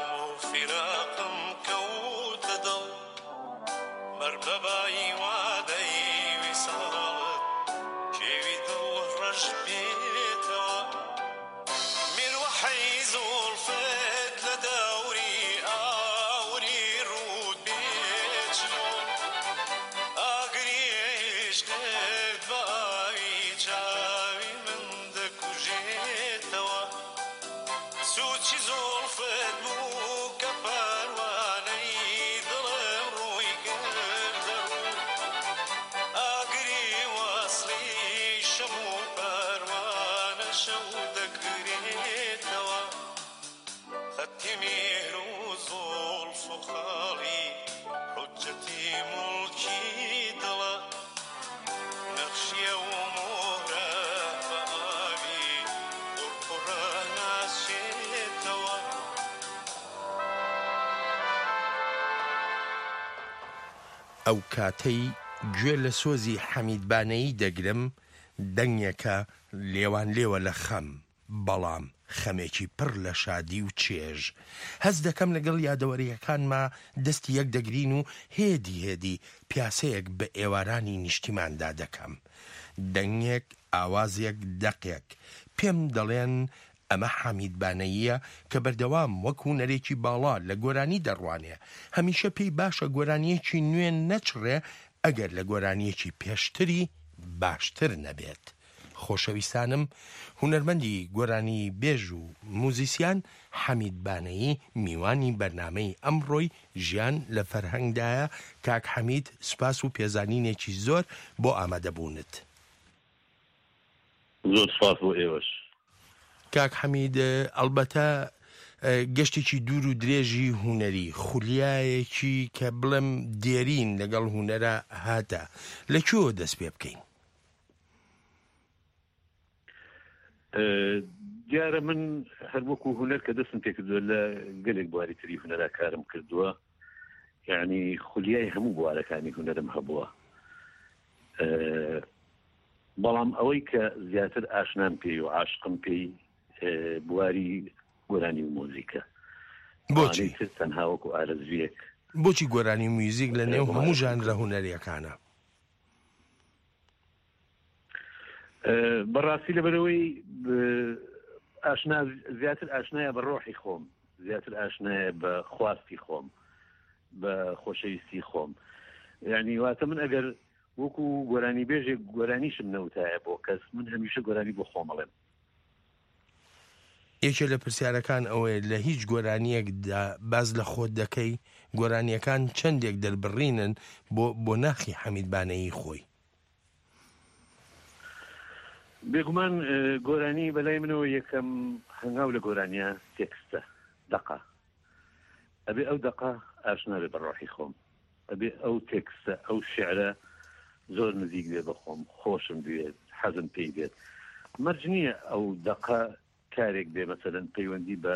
فیراقم کەوتە دڵ مەر بە بای وادەی ویساڵت کێوی دڵ ڕەش بێتەوە میروەحەی زوڵفت لە دەوری ئاوری ڕووت بێ چلۆ ئاگری عیشقت بە ئاوی چاوی من دەکوژێتەوە سووچی زوڵفت بوو کە پەروانەی دڵم ڕووی کردە ڕوو ئاگری وەسڵی شەم و پەروانە شەو دەکرێتەوە خەتی میهر و زوڵف و خاڵی حوجەتی موڵکی دڵە نەخشی ئەو مۆرە بە ئاوی قوڕقوڕە ناچێتەوە. ئەو کاتەی گوێ لە سۆزی حەمید بانەیی دەگرم، دەنگێکە لێوانلێوە لە خەم. بەڵام خەمێکی پڕ لە شادی و چێژ. هەست دەکەم لەگەڵ یادەوەرییەکانما دەستی یەک دەگرین و هێدی هێدی پیاسەیەک بە ئێوارانی نیشتیماندا دەکەم. دەنگێک، ئاوازێک، دەقێک. پێم دەڵێن ئەمە حەمید بانەییە کە بەردەوام وەک هونەرێکی باڵا لە گۆرانی دەڕوانێ. هەمیشە پێی باشە گۆرانییەکی نوێ نەچڕێ ئەگەر لە گۆرانییەکی پێشتری باشتر نەبێت. خۆشەویستانم هونەرمەندی گۆرانی بێژ و موزیسیان حەمید بانەیی میوانی بەرنامەی ئەمڕۆی ژیان لە فەرهەنگدایە کاک حەمید سوپاس و پێزانینێکی زۆر بۆ ئامادەبوونت. زۆر سوپاس بۆ ئێوەش. کاک حەمید ئەڵبەتە گەشتێکی دوور و درێژی هونەری خولیایەکی کە بڵێم دێرین لەگەڵ هونەرا هاتە لە کوێوە دەست پێ بکەین؟ دیارە من هەر وەکو هونەر کە دەستم پێکردووە لە گەلێک بواری تری هونەرا کارم کردووە یعنی خولیای هەموو بوارەکانی هونەرم هەبووە بەڵام ئەوەی کە زیاتر ئاشنام پێی و عاشقم پێی بواری گۆرانی و مۆزیکە بۆچی تر تەنها وەکو ئارەزویەک بۆچی گۆرانی و میوزیک لە نێو هەموو ژانرە هونەریەکانە بەڕاستی لەبەرەوەی ئاشنا زیاتر ئاشنایە بە ڕۆحی خۆم زیاتر ئاشنایە بە خواستی خۆم بە خۆشەویستی خۆم یعنی واتە من ئەگەر وەکو گۆرانی بێژێک گۆرانیشم نەوتایە بۆ کەس من هەمیشە گۆرانی بۆ خۆمەڵێم یەکێ لە پرسیارەکان ئەوەیە لە هیچ گۆرانییەکدا باس لە خۆت دەکەی؟ گۆرانییەکان چەندێک دەربڕینن بۆ بۆ ناخی حەمید بانەیی خۆی؟ بێگومان گۆرانی بەلای منەوە یەکەم هەنگاو لە گۆرانیە تێکستە، دەقە. ئەبێ ئەو دەقە ئاشنا بێ بە ڕۆحی خۆم. ئەبێ ئەو تێکستە، ئەو شیعرە زۆر نزیک بێ بە خۆم، خۆشم بوێت، حەزم پێی بێت. مەرج نییە ئەو دەقە کارێک بێ مەسەلەن پەیوەندی بە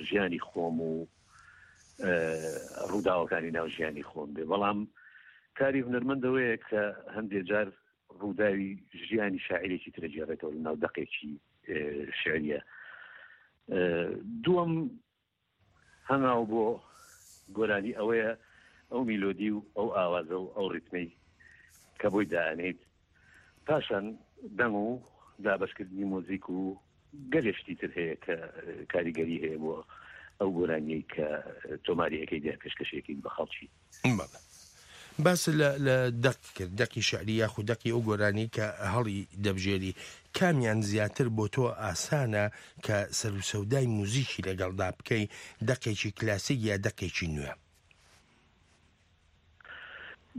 ژیانی خۆم و ڕووداوەکانی ناو ژیانی خۆم بێ، بەڵام کاری هونەرمەند ئەوەیە کە هەندێ جار ڕووداوی ژیانی شاعیرێکی تر ئەگێڕێتەوە لە ناو دەقێکی شیعریە. دووەم هەنگاو بۆ گۆرانی ئەوەیە ئەو میلۆدی و ئەو ئاوازە و ئەو ڕیتمەی کە بۆی دائەنێیت، پاشان دەنگ و دابەشکردنی مۆزیک و گەلێ شتی تر هەیە کە کاریگەری هەیە بۆ ئەو گۆرانیەی کە تۆماری ئەکەیت یا پێشکەشی ئەکەیت بە خەڵکی. بەڵێ. باست لە لە دەق کرد، دەقی شیعری یاخود دەقی ئەو گۆرانی کە هەڵی دەبژێری، کامیان زیاتر بۆ تۆ ئاسانە کە سەروسەودای موزیکی لەگەڵدا بکەی، دەقێکی کلاسیک یا دەقێکی نوێ؟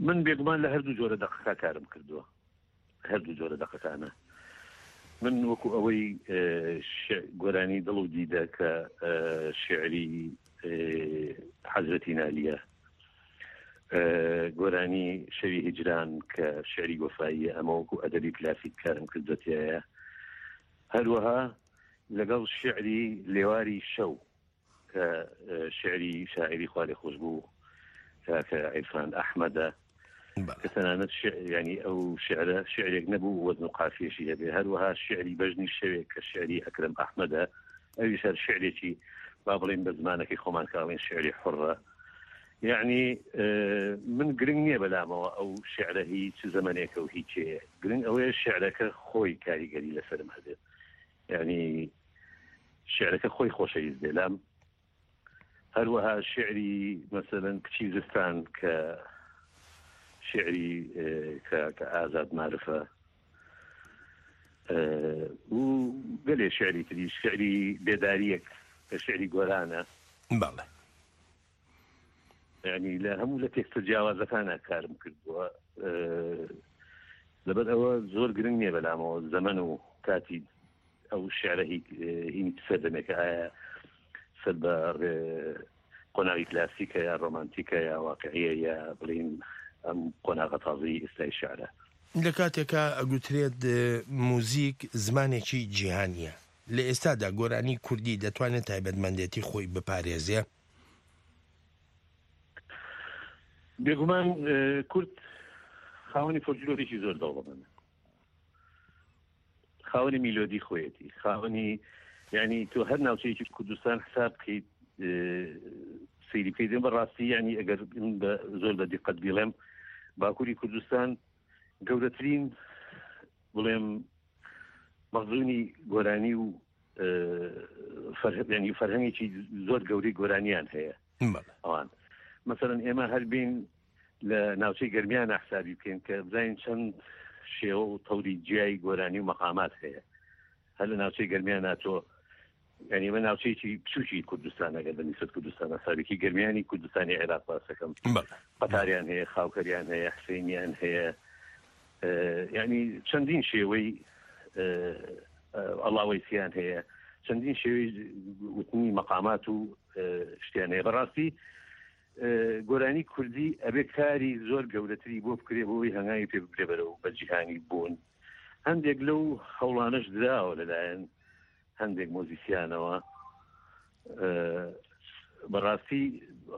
من بێگومان لە هەردوو جۆرە دەقەکە کارم کردووە. هەردوو جۆرە دەقەکانە من وەکو ئەوەی گۆرانی دڵ و دیدە کە شعری حەزرەتی نالیە. گۆرانی شەوی هیجران کە شعری وەفاییە ئەمە وەکو ئەدەبی کلاسیک کارم کردووە تیایە. هەروەها لەگەڵ شعری لێواری شەو کە شعری شاعری خوالێخۆشبوو کاکە عیرفان ئەحمەدە کە تەنانەت ینی ئەو شعرە شعرێک نەبوو وەزن و قافیەشی هەبێ. هەروەها شعری بەژنی شەوێک کە شعری ئەکرەم ئەحمەدە، ئەویش هەر شعرێکی با بڵێین بە زمانەکەی خۆمان کە ئەڵێن شعری حوڕە. یعنی من گرنگ نییە بەلامەوە ئەو شعرە هی چ زەمەنێکە و هی کێیە، گرنگ ئەوەیە شعرەکە خۆی کاریگەری لەسەرم هەبێت، یعنی شعرەکە خۆی خۆشەویست بێ لام. هەروەها شعری مەسەلەن کچی زستان کە شعری کە کە ئازاد مارفە و گەلێ شعری تری، شعری بێداریەک کە شعری گۆرانە. بەڵێ. یعنی لە هەموو لە تێکستە جیاوازەکانە کارم کردووە. لەبەر ئەوە زۆر گرنگ نییە بەلامەوە زەمەن و کاتی ئەو شعرە هینی چ سەردەمێکە، ئایا سەر بە قۆناغی کلاسیکە یا ڕۆمانتیکە یا واقعیە یا بڵین ئەم قۆناغە تازەی ئێستای شعرە. لە کاتێکا ئەگوترێت موزیک زمانێکی جیهانییە، لە ئێستادا گۆرانی کوردی دەتوانێت تایبەتمەندێتی خۆی بپارێزێ؟ بێگومان کورد خاوەنی فۆلکلۆرێکی زۆر دەوڵەمەندە، خاوەنی میلۆدی خۆیەتی، خاوەنی یعنی تۆ هەر ناوچەیەکی کوردستان حساب بکەیت سەیری بکەیت بە ڕاستی یعنی ئەگەر زۆر بە دیقەت بیڵێم باکووری کوردستان گەورەترین بڵێم مەخزونی گۆرانی و فەرهەنگی فەرهەنگێکی زۆر گەورەی گۆرانیان هەیە ئەوان مەسەرەن ئێمە هەربین لە ناوچەی گەرمیانە حسابی بکەین کە بزانین چەند شێوە و تەوری جیای گۆرانی و مەقامات هەیە هەر لە ناوچەی گەرمیانە تۆ یعنی ئێمە ناوچەیەکی بچووکی کوردستان ئەگەر بە نیسبەت کوردستان حسابێکی گەرمیانی کوردستانی عێراق باسەکەم قەتاریان هەیە، خاوکەریان هەیە، حسێنیان هەیە، یعنی چەندین شێوەی ئەڵاوەیسیان هەیە، چەندین شێوەی وتنی مەقامات و شتیان هەیە. بەڕاستی گۆرانی کوردی ئەبێ کاری زۆر گەورەتری بۆ بکرێ بۆی هەنگاوی پێ ببرێ بەرەو بە جیهانی بوون. هەندێک لەو هەوڵانەش دراوە لەلایەن هەندێک مۆزیسیانەوە. بەڕاستی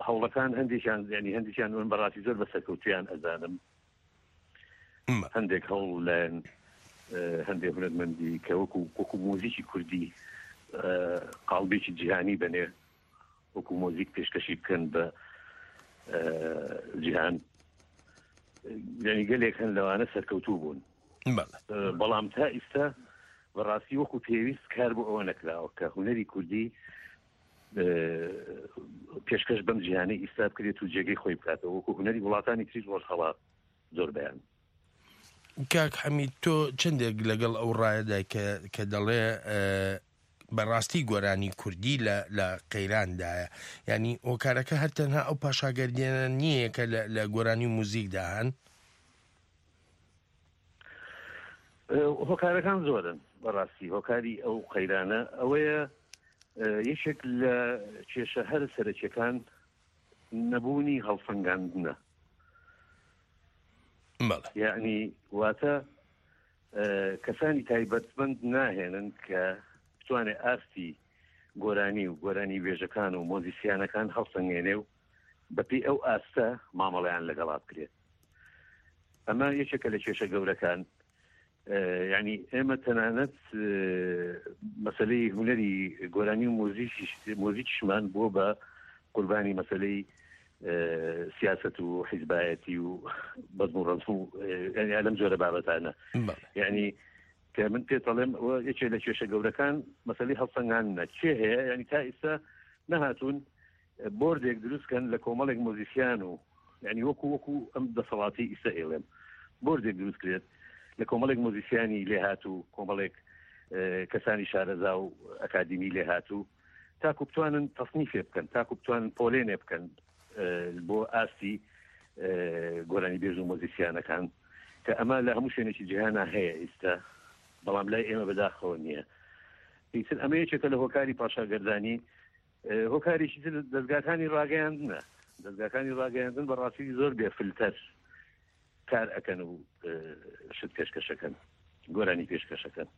هەوڵەکان هەندێکیان ینی هەندێکیان من بەڕاستی زۆر بە سەرکەوتویان ئەزانم. هەندێک هەوڵ لایەن هەندێک هونەرمەندی کە وەکو وەکو مۆزیکی کوردی قاڵبێکی جیهانی بەنێ وەکو مۆزیک پێشکەشی بکەن بە جیهان، یعنی گەلێک هەن لەوانە سەرکەوتوو بوون، بەڵام تا ئیستا بەڕاستی وەکو پێویست کار بۆ ئەوە نەکراوە کە هونەری کوردی پێشکەش بەم جیهانەی ئیستا بکرێت و جێگەی خۆی بکاتەوە وەکو هونەری وڵاتانی تری ڕۆژهەڵات زۆربەیان. کاک حەمید تۆ چەندێک لەگەڵ ئەو ڕایەدای کە کە دەڵێ بەڕاستی گۆرانی کوردی لە لە قەیراندایە یعنی هۆکارەکە هەر تەنها ئەو پاشاگەردیانە نییە کە لە گۆرانی و موزیکدا هەن؟ هۆکارەکان زۆرن بەڕاستی. هۆکاری ئەو قەیرانە ئەوەیە یەکێک لە کێشە هەرە سەرەکیەکان نەبوونی هەڵسەنگاندنە. یعنی واتە کەسانی تایبەتمەند ناهێنن کە بتوانێت ئاستی گۆرانی و گۆرانی وێژەکان و مۆزیسیانەکان هەڵسەنگێنێ و بەپی ئەو ئاستە مامەڵیان لەگەڵا بکرێت. ئەمە یەکێکە لە کێشە گەورەکان. یعنی ئێمە تەنانەت مەسلەی هونەری گۆرانی و مۆزیکیشمان بۆ بە قوربانی مەسلەی سیاست و حیزبایەتی و بەزم و ڕەزم و لەم جۆرە بابەتانە. یعنی کە من پێت دەڵێم یەکێک لە کێشە گەورەکان مەسلەی هەڵسەنگاندنە کێ هەیە، یعنی تا ئیستا نەهاتوون بۆردێک دروست کەن لە کۆمەڵێک مۆزیسیان و یعنی وەکو وەکو ئەم دەسەڵاتی ئیستا ئێڵێم بۆردێک دروست کرێت لە کۆمەڵێک مۆزیسیانی لێهاتوو، کۆمەڵێک کەسانی شارەزا و ئەکادیمی لێهاتوو تاکو بتوانن تەصنیفێ بکەن، تاکو بتوانن پۆلێنێ بکەن بۆ ئاستی گۆرانی بێژ و مۆزیسیانەکان، کە ئەمە لە هەموو شوێنێکی جیهانا هەیە ئیستا، بەڵام لای ئێمە بەداخەوە نییە. ئیتر ئەمە یەکێکە لە هۆکاری پاشاگەردانی. هۆکارێکی تر دەزگاکانی ڕاگەیاندنە. دەزگاکانی ڕاگەیاندن بەڕاستی زۆر بێ فلتەر کار ئەکەن و شت پێشکەشەکەن گۆرانی پێشکەشەکەن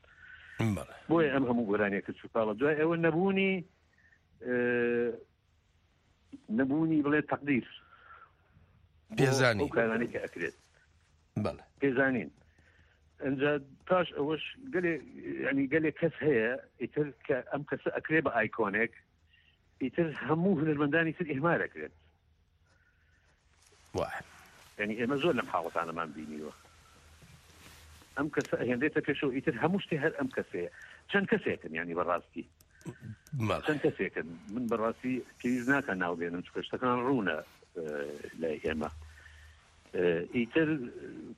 بۆیە ئەم هەموو گۆرانیەکە چوکاڵە دوای ئەوە نەبوونی نەبوونی بڵێ تەقدیر پێزانی ئەو کارانەی کە ئەکرێت پێزانین ئەجا پاش ئەوەش گەلێ ینی گەلێک کەس هەیە ئیتر کە ئەم کەسە ئەکرێ بە ئایکۆنێک ئیتر هەموو هونەرمەندانی تر ئیهمال ئەکرێت یعنی ئێمە زۆر لەم حاڵەتانەمان بینیوە ئەم کەسە ئەهێنرێتە پێشەوە ئیتر هەموو شتێ هەر ئەم کەسەیە چەند کەسێکن ینی بەڕاستی چەند کەسێکن من بەڕاستی پێویست ناکە ناو بێنم چونکە شتەکان ڕوونە لای ئێمە ئیتر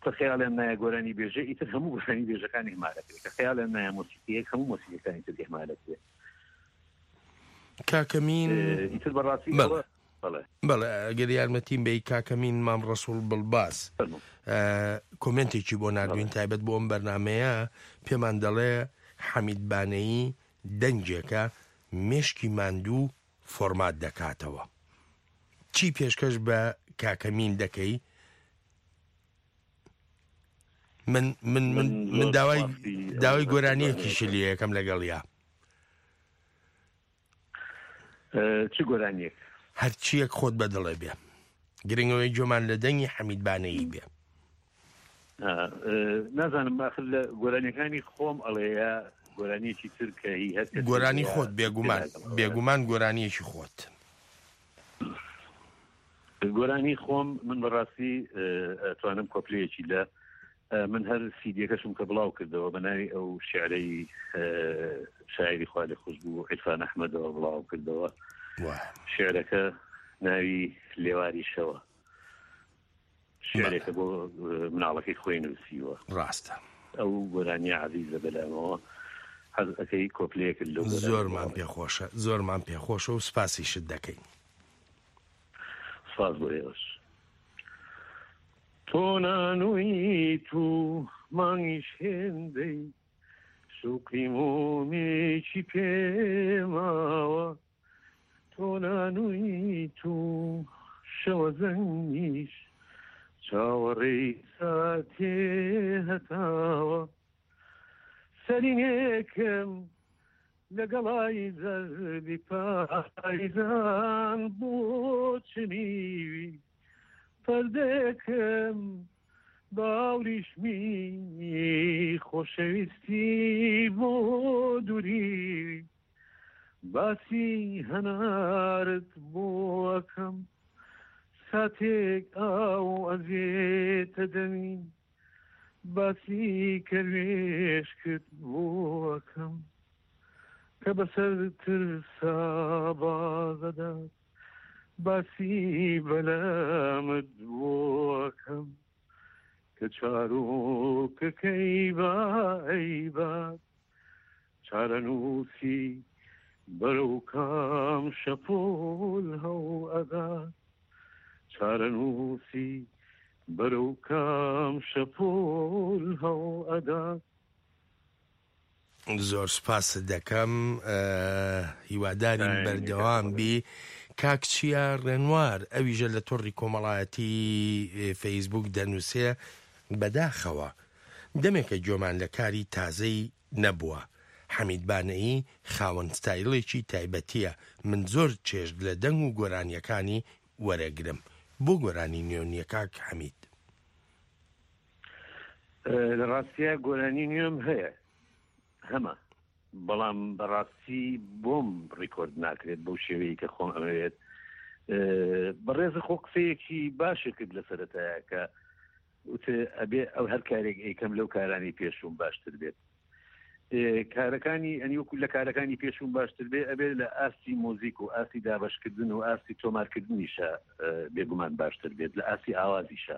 کە خەیاڵیان نایە گۆرانی بێژە ئیتر هەموو گۆرانی بێژەکان ئیهمالەکرێت کە خەیاڵیان نایە مۆسیقیەک هەموو مۆسیقیەکانی تر ئیهمالەکرێت کاکەمین ئیتر بەڕاستی بەڵێ بەڵێ ئەگەر یارمەتیم بەی کاکەمین مام ڕەسوڵ بڵباس کۆمنتێکی بۆ نردوین تایبەت بۆ ئەم بەرنمەیە پێمان دەڵێ حەمید بانەیی دەنگێکە مێشکی ماندوو فۆرمات دەکاتەوە چی پێشکەش بە کاکەمین دەکەی من من من من داوای داوای گۆرانیەکیشی لێ یەکەم لەگەڵیا چ گۆرانیەک؟ هەرچیەک خۆت بە دڵێ بێ گرنگەوەی گوێمان لە دەنگی حەمید بانەیی بێ. نازانم ئاخر لە گۆرانیەکانی خۆم ئەڵێ یا گۆرانیەکی تر کە هی هەر کەسێک گۆرانی خۆت بێگومان بێگومان گۆرانیەکی خۆت. گۆرانی خۆم من بەڕاستی ئەتوانم کۆپلەیەکی لە من هەر سیدیەکەشم کە بڵاو کردەوە بە ناوی ئەو شعرەی شاعری خوا لێ خۆش بوو عیرفان ئەحمەدەوە بڵاو کردەوە شعرەکە ناوی لێواری شەوە شعرێکە بۆ مناڵەکەی خۆی نووسیوە ڕاستە ئەو گۆرانیە عزیزە بەلامەوە حەز ئەەکەی کۆپلەیەکت لەو زۆرمان پێخۆشە زۆرمان پێخۆشە و سپاسیشت دەکەین سپاس بۆ ئێوەش تۆ نانوویت و مانگیش هێندەی سوقی مۆمێکی پێ ماوە تۆ نانوویت و شەوە زەنگیش چاوەڕێی ساتێ هەتاوە سەرینێکم لەگەڵای زەردی پایزان بۆ چنیوی پەردەیەکم بە ئاوریشمی خۆشەویستی بۆ دووری باسی هەنارت بۆ ئەکەم ساتێک ئاو ئەزێتە دەمی باسی کەروێشکت بۆ ئەکەم کە بەسەر ترسا بازەدات باسی بەلامت بۆ ئەکەم کە چارۆکەکەی با ئەیبات چارەنووسی بەرەو کام شەپۆل هەو ئەدات چارەنووسی بەرەو کام شەپۆل هەو ئەدات. زۆر سوپاست دەکەم هیوادارین بەردەوام بی کاک چیا ڕێنوار ئەویژە لە تۆڕی کۆمەڵایەتی فەیسبوک دەنووسێ بەداخەوە دەمێکە گوێمان لە کاری تازەی نەبووە حەمید بانەیی خاوەن ستایڵێکی تایبەتیە من زۆر چێژ لە دەنگ و گۆرانیەکانی وەرەگرم بۆ گۆرانی نوێ نیە کاک حەمید؟ لە ڕاستیا گۆرانی نوێم هەیە هەمە بەڵام بەڕاستی بۆم ڕیکۆرد ناکرێت بەو شێوەیە کە خۆم ئەمەوێت بەڕێزە خۆ قسەیەکی باشە کرد لە سەرەتایە کە ئەبێ ئەو هەر کارێک ئەیکەم لەو کارانی پێشوم باشتر بێت کارەکانی ئەنی وەکو لە کارەکانی پێشوم باشتر بێ ئەبێت لە ئاستی مۆزیک و ئاستی دابشکردن و ئاستی تۆمارکردنیشە بێگومان باشتر بێت لە ئاستی ئاوازیشە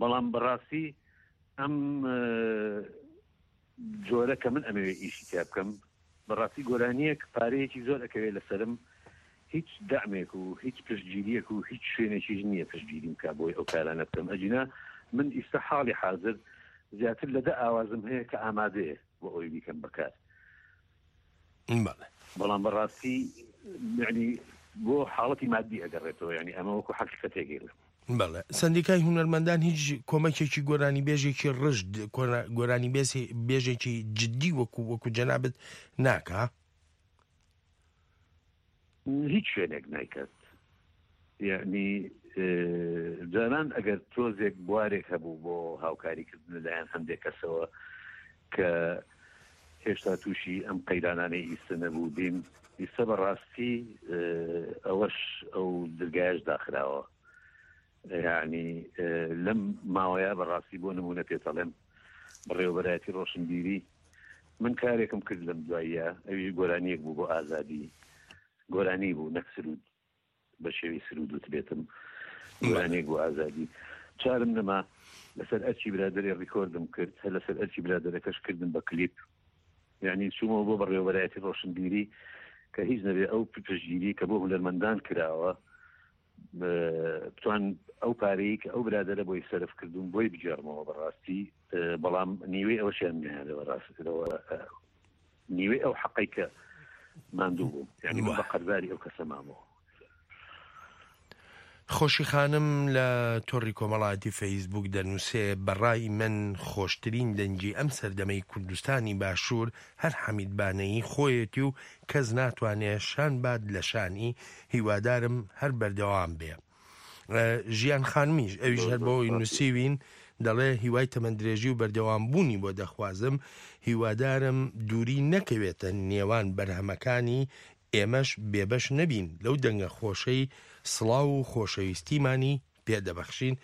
بەڵام بەڕاستی ئەم جۆرە کە من ئەمەوێ ئیشی تیا بکەم بەڕاستی گۆرانیەک پارەیەکی زۆر ئەکەوێت لەسەرم هیچ دەعمێک و هیچ پشتگیریەک و هیچ شوێنێکیش نییە پشتگیریم کا بۆی ئەو کارانە بکەم ئەگینا من ئیستا حاڵی حازر زیاتر لە دە ئاوازم هەیە کە ئامادەیە بۆ ئەوەی بیکەم بەکار بەڵێ. بەڵام بەڕاستی یعنی. بۆ حاڵەتی مادی ئەگەڕێتەوە یانی ئەمە وەکو حەقیقەتێک ئەیڵێم. بەڵێ سەندیکای هونەرمەندان هیچ کۆمەکێکی گۆرانیبێژێکی ڕژد گۆرانی بێژێکی جدی وەکو وەکو جەنابت ناکا؟ هیچ شوێنێک نایکات یعنی جاران ئەگەر تۆزێک بوارێک هەبوو بۆ هاوکاریکردن لەلایەن هەندێک کەسەوە کە هێشتا تووشی ئەم قەیرانانەی ئیستە نەبووبین، ئیستە بە ڕاستی ئەوەش ئەو درگایەش داخراوە. یعنی لەم ماوەیە بە ڕاستی بۆ نمونە پێتەڵێم بەڕێوەبەرایەتی ڕۆشنبیری من کارێکم کرد لەم دواییە ئەویش گۆرانیەک بوو بۆ ئازادی گۆرانی بوو نەک سرود بە شێوەی سرود وتبێتم گۆرانیەک بۆ ئازادی چارم نەما لەسەر ئەرکی برادەرێ ڕیکۆردم کرد هەر لەسەر ئەرکی برادەرەکەش کردم بە کلیپ یعنی چوومەوە بۆ بەڕێوەبەرایەتی ڕۆشنبیری کە هیچ نەبێ ئەو پشتگیری کە بۆ هونەرمەندان کراوە بتوان ئەو پارەی کە ئەو برادەرە بۆی سەرف کردوم بۆی بگێڕمەوە بەڕاستی بەڵام نیوەی ئەوەشیان نەیانەوە ڕاستەوە نیوەی ئەو حەقەی کە ماندوو بووم یعنی من بە قەرزاری ئەو کەسە مامەوە. خۆشی خانم لە تۆڕی کۆمەڵایەتی فەیسبووک دەنووسێ، بە ڕای من خۆشترین دەنگی ئەم سەردەمەی کوردستانی باشوور هەر حەمید بانەیی خۆیەتی و کەس ناتوانێ شان بات لە شانی، هیوادارم هەر بەردەوام بێ. ژیان خانمیش ئەویش هەر بۆی نووسیوین دەڵێ هیوای تەمەندرێژی و بەردەوام بوونی بۆ دەخوازم هیوادارم دووری نەکەوێتە نێوان بەرهەمەکانی ئێمەش بێبەش نەبین لەو دەنگە خۆشەی سڵاو و خۆشەویستیمانی پێ دەبەخشین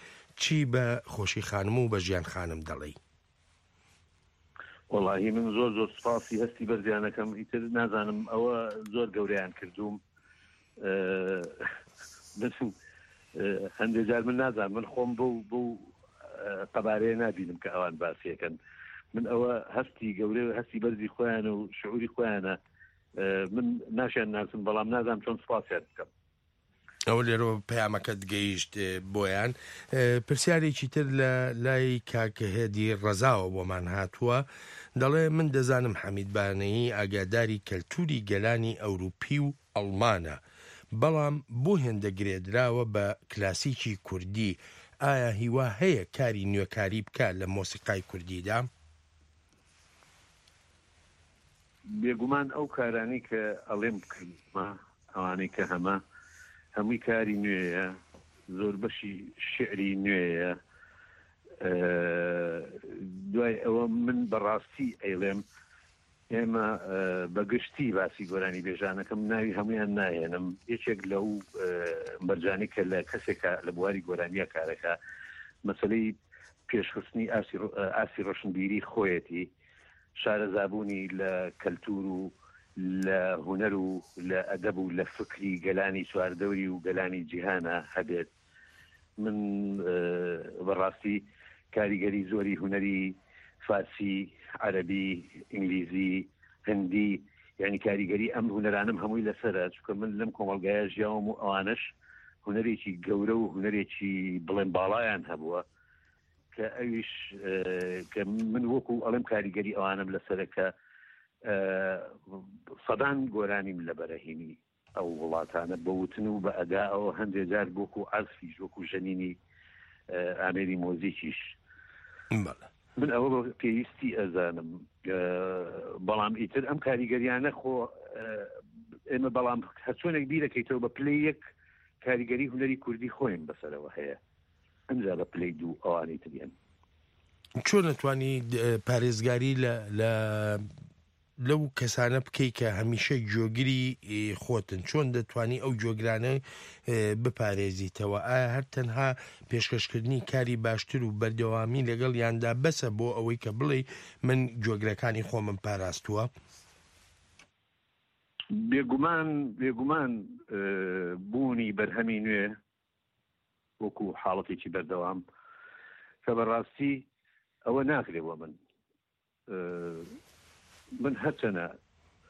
چی بە خۆشی خانم و بە ژیان خانم دەڵێی؟ وەڵاهی من زۆر زۆر سوپاسی هەستی بەرزیان ئەکەم ئیتر نازانم ئەوە زۆر گەورەیان کردووم هەندێک جار من نازانم من خۆم بەو بەو قەبارەیە نابینم کە ئەوان باسیەکەن من ئەوە هەستی گەورە هەستی بەرزی خۆیان و شعوری خۆیانە من ناشیان ناسم بەڵام نازانم چۆن سپاسیان بکەم ئەوە لێرەوە پەیامەکەت گەیشت بۆیان. پرسیارێکی تر لە لای کاک هێدی ڕەزاوە بۆمان هاتووە دەڵێ من دەزانم حەمید بانەیی ئاگاداری کەلتوری گەلانی ئەوروپی و ئەڵمانە بەڵام بۆ هێندە گرێدراوە بە کلاسیکی کوردی ئایا هیوا هەیە کاری نوێکاری بکا لە مۆسیقای کوردیدا؟ بێگومان ئەو کارانەی کە ئەڵێم کردمە ئەوانەی کە هەمە هەمووی کاری نوێیە زۆربەشی شیعری نوێیە دوای ئەوە من بەڕاستی ئەیڵێم ئێمە بەگشتی باسی گۆرانی بێژانەکەم ناوی هەمویان ناهێنم یەکێک لەو مەرجانی کە لە کەسێکە لە بواری گۆرانیە کارەکە مەسلەی پێشخستنی ئاستی ڕۆشنبیری خۆیەتی شارەزابوونی لە کەلتوور و لە هونەر و لە ئەدەب و لە فکری گەلانی چواردەوری و گەلانی جیهانا هەبێت. من بە ڕاستی کاریگەری زۆری هونەری فارسی، عەرەبی، ئینگلیزی، هندی یانی کاریگەری ئەم هونەرانەم هەمووی لەسەرە چونکە من لەم کۆمەڵگایە ژیاوم و ئەوانەش هونەرێکی گەورە و هونەرێکی بڵێم باڵایان هەبووە. کە ئەویش کە من وەکو ئەڵێم کاریگەری ئەوانم لەسەرە کە سەدان گۆرانیم لە بەرەهینی ئەو وڵاتانە بە وتن و بە ئەداەوە هەندێک جار وەکو عەزفیش وەکو ژەنینی ئامێری مۆزیکیش من ئەوە بە پێویستی ئەزانم بەڵام ئیتر ئەم کاریگەریانە خۆ ئێمە بەڵام هەرچۆنێک بیرەکەیتەوە بە پلەی یەک کاریگەری هونەری کوردی خۆیم بەسەرەوە هەیە ئەمجا بە پلەی دوو ئەوانەی تر یەن. چۆن ئەتوانی پارێزگاری لە لە لەو کەسانە بکەی کە هەمیشە گوێگری خۆتن چۆن دەتوانی ئەو گوێگرانە بپارێزیتەوە ئایا هەر تەنها پێشکەشکردنی کاری باشتر و بەردەوامی لەگەڵ یاندا بەسە بۆ ئەوەی کە بڵێ من گوێگرەکانی خۆمم پاراستووە؟ بێگومان بێگومان بوونی بەرهەمی نوێ وەکو حاڵەتێکی بەردەوام کە بەڕاستی ئەوە ناکرێ بۆ من من هەرچەنە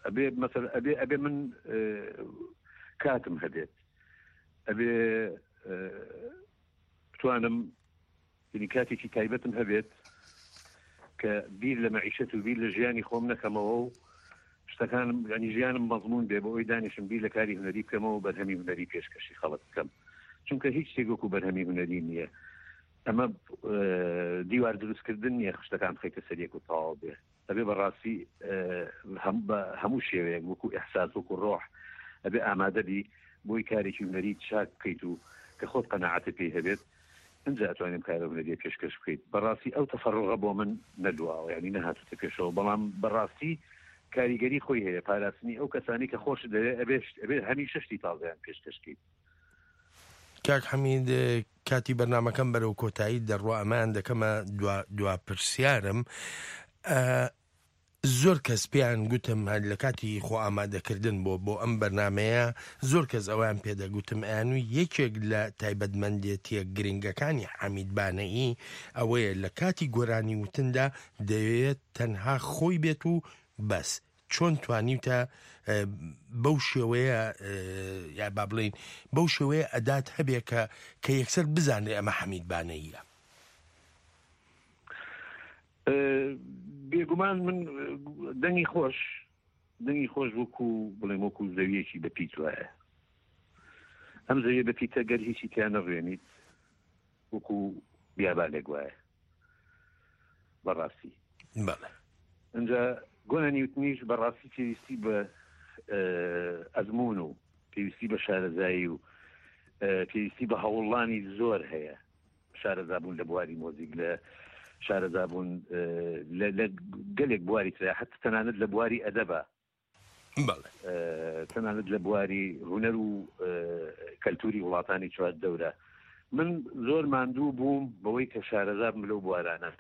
ئەبێ مەسەل ئەبێ ئەبێ من کاتم هەبێت ئەبێ بتوانم یعنی کاتێکی تایبەتم هەبێت کە بیر لە مەعیشەت و بیر لە ژیانی خۆم نەکەمەوە و شتەکانم ینی ژیانم مەزمون بێ بۆ ئەوی دانیشم بیر لە کاری هونەری بکەمەوە و بەرهەمی هونەری پێشکەشی خەڵک بکەم چونکە هیچ شتێک وەکو بەرهەمی هونەری نییە ئەمە دیوار دروستکردن نییە خشتەکان بخەیتە سەر یەک و تەواو بێ ئەبێ بەڕاستی بە هەموو شێوەیەک وەکو ئیحساس وەکو ڕۆح ئەبێ ئامادە بی بۆی کارێکی هونەری چاک بکەیت و کە خۆت قەناعەتت پێی هەبێت ئینجا ئەتوانی ئەم کارە هونەریە پێشکەش بکەیت بەڕاستی ئەو تەفەڕوغە بۆ من نەدواوە یانی نەهاتوتە پێشەوە بەڵام بەڕاستی کاریگەری خۆی هەیە پاراستنی ئەو کەسانی کە خۆشت دەوێ ئەبێ ئەبێ هەمیشە شتی تازەیان پێشکەش کەیت. کاک حەمید کاتی بەرنامەکەم بەرەو کۆتایی دەڕوا ئەمەیان دەکەمە دوا دوا پرسیارم زۆر کەس پێیان گوتم هەر لە کاتی خۆ ئامادەکردن بۆ بۆ ئەم بەرنمەیە زۆر کەس ئەویان پێدەگوتم ئەیانوی یەکێک لە تایبەتمەندێتیە گرنگەکانی حەمید بانەیی ئەوەیە لە کاتی گۆرانی وتندا دەیەوێت تەنها خۆی بێت و بەس چۆن توانیوتە بەو شێوەیە یا با بڵین بەو شێوەیە ئەدات هەبێ کە کە یەکسەر بزانرێ ئەمە حەمید بانەییە؟ بێگومان من دەنگی خۆش دەنگی خۆش وەکو بڵێم وەکو زەویەکی بە پیت وایە ئەم زەویە بە پیتە گەر هیچی تیا نەڕوێنیت وەکو بیابانێک وایە بەڕاستی بەڵێ ئینجا گۆرانی وتنیش بەڕاستی پێویستی بە ئەزمون و پێویستی بە شارەزایی و پێویستی بە هەوڵانی زۆر هەیە شارەزابوون لە بواری مۆزیک لە شارەزابوون لە گەلێک بواری ترە حتی تەنانەت لە بواری ئەدەبە بەڵێ. تەنانەت لە بواری هونەر و کەلتوری وڵاتانی چواردەورە. من زۆر ماندوو بووم بەوەی کە شارەزا بم لەو بوارانە.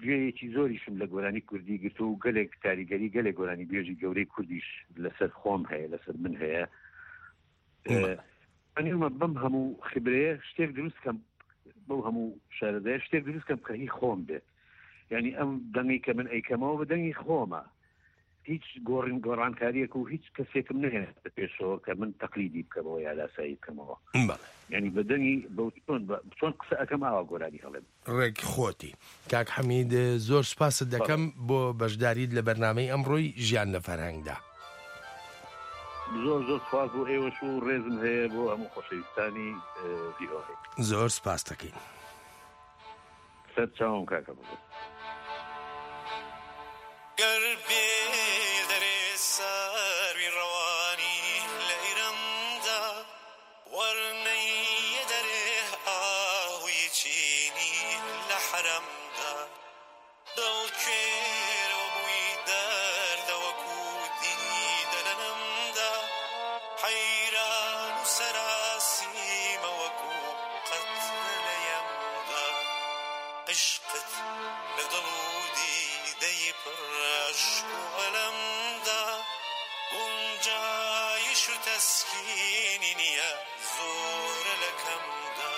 گوێیەکی زۆریشم لە گۆرانی کوردی گرتووە و گەلێک کاریگەری گەلێک گۆرانی بێژی گەورەی کوردیش لەسەر خۆم هەیە، لەسەر من هەیە. ئەنیومە بەم هەموو خبرەیە شتێک دروست کەم بەو هەموو شارەزایە شتێک دروست کەم کە هی خۆم بێت. یعنی ئەم دەنگی کە من ئەیکەمەوە بە دەنگی خۆمە. هیچ گۆڕین گۆڕانکاریەک و هیچ کەسێکم نەهێناتە پێشەوە کە من تەقلیدی بکەمەوە یا لاسایی بکەمەوە بەڵێ. یانی بە دەنگی بە چۆن بە چۆن قسە ئەکەم ئاوا گۆرانی ئەڵێم. ڕێک خۆتی. کاک حەمید زۆر سوپاست بەڵێ. دەکەم بۆ بەشداریت لە بەرنامەی ئەمڕۆی ژیان لە فەرهەنگدا. زۆر زۆر سوپاس بۆ ئێوەش و ڕێزم هەیە بۆ هەموو خۆشەویستانی ڤی ئۆ ئەی. زۆر سوپاست دەکەین. سەر چاوم کاکە بەڕێز. گەر بێیە دەرێ سەروی ڕەوانی لە ئیرەمدا وەر نەیە دەرێ ئاهووی چینی لە حەرەمدا دڵ کوێرەوە بووی دەردە وەکوو دیدە لە نەمدا حەیران و سەراسیمە وەکوو قەترە لە یەمدا عشقت لە دڵ و دیدەی پڕ ئەشک و ئەلەمدا گونجایش و تەسکینی نییە زۆرە لە کەمدا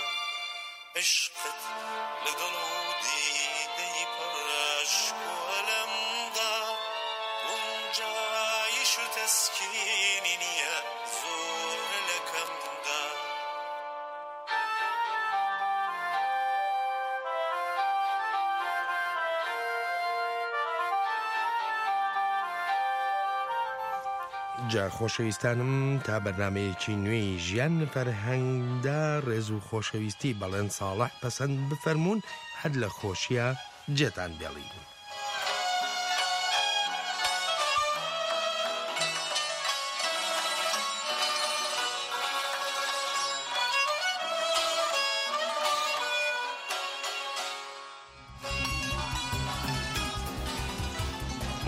عشقت لە دڵ و دیدەی پڕ ئەشک و ئەلەمدا گونجایش و تەسکینی نییە زۆرە لە کەمدا. جا خۆشەویستانم تا بەرنامەیەکی نوێی ژیان لە فەرهەنگدا ڕێز و خۆشەویستی بەڵێن ساڵح پەسەند بفەرموون هەر لە خۆشیا جێتان بێڵین.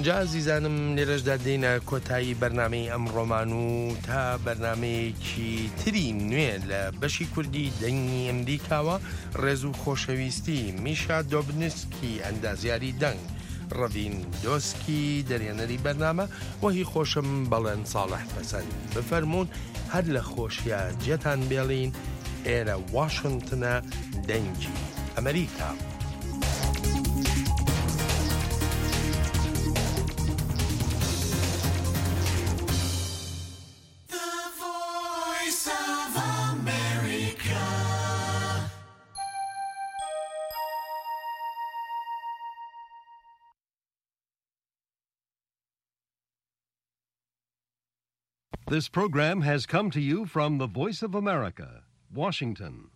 جا ئازیزانم لێرەشدا دێینە کۆتایی بەرنامەی ئەمڕۆمان و تا بەرنامەیەکی تری نوێ لە بەشی کوردی دەنگی ئەمریکاوە ڕێز و خۆشەویستی میشا دۆبنسکی ئەندازیاری دەنگ ڕەڤین دۆسکی دەرهێنەری بەرنامە و هی خۆشم بەڵێن ساڵح پەسەند بفەرموون هەر لە خۆشیا جێتان بێڵین ئێرە واشنتنە دەنگی ئەمریکا. This program has come to you from the Voice of America, Washington.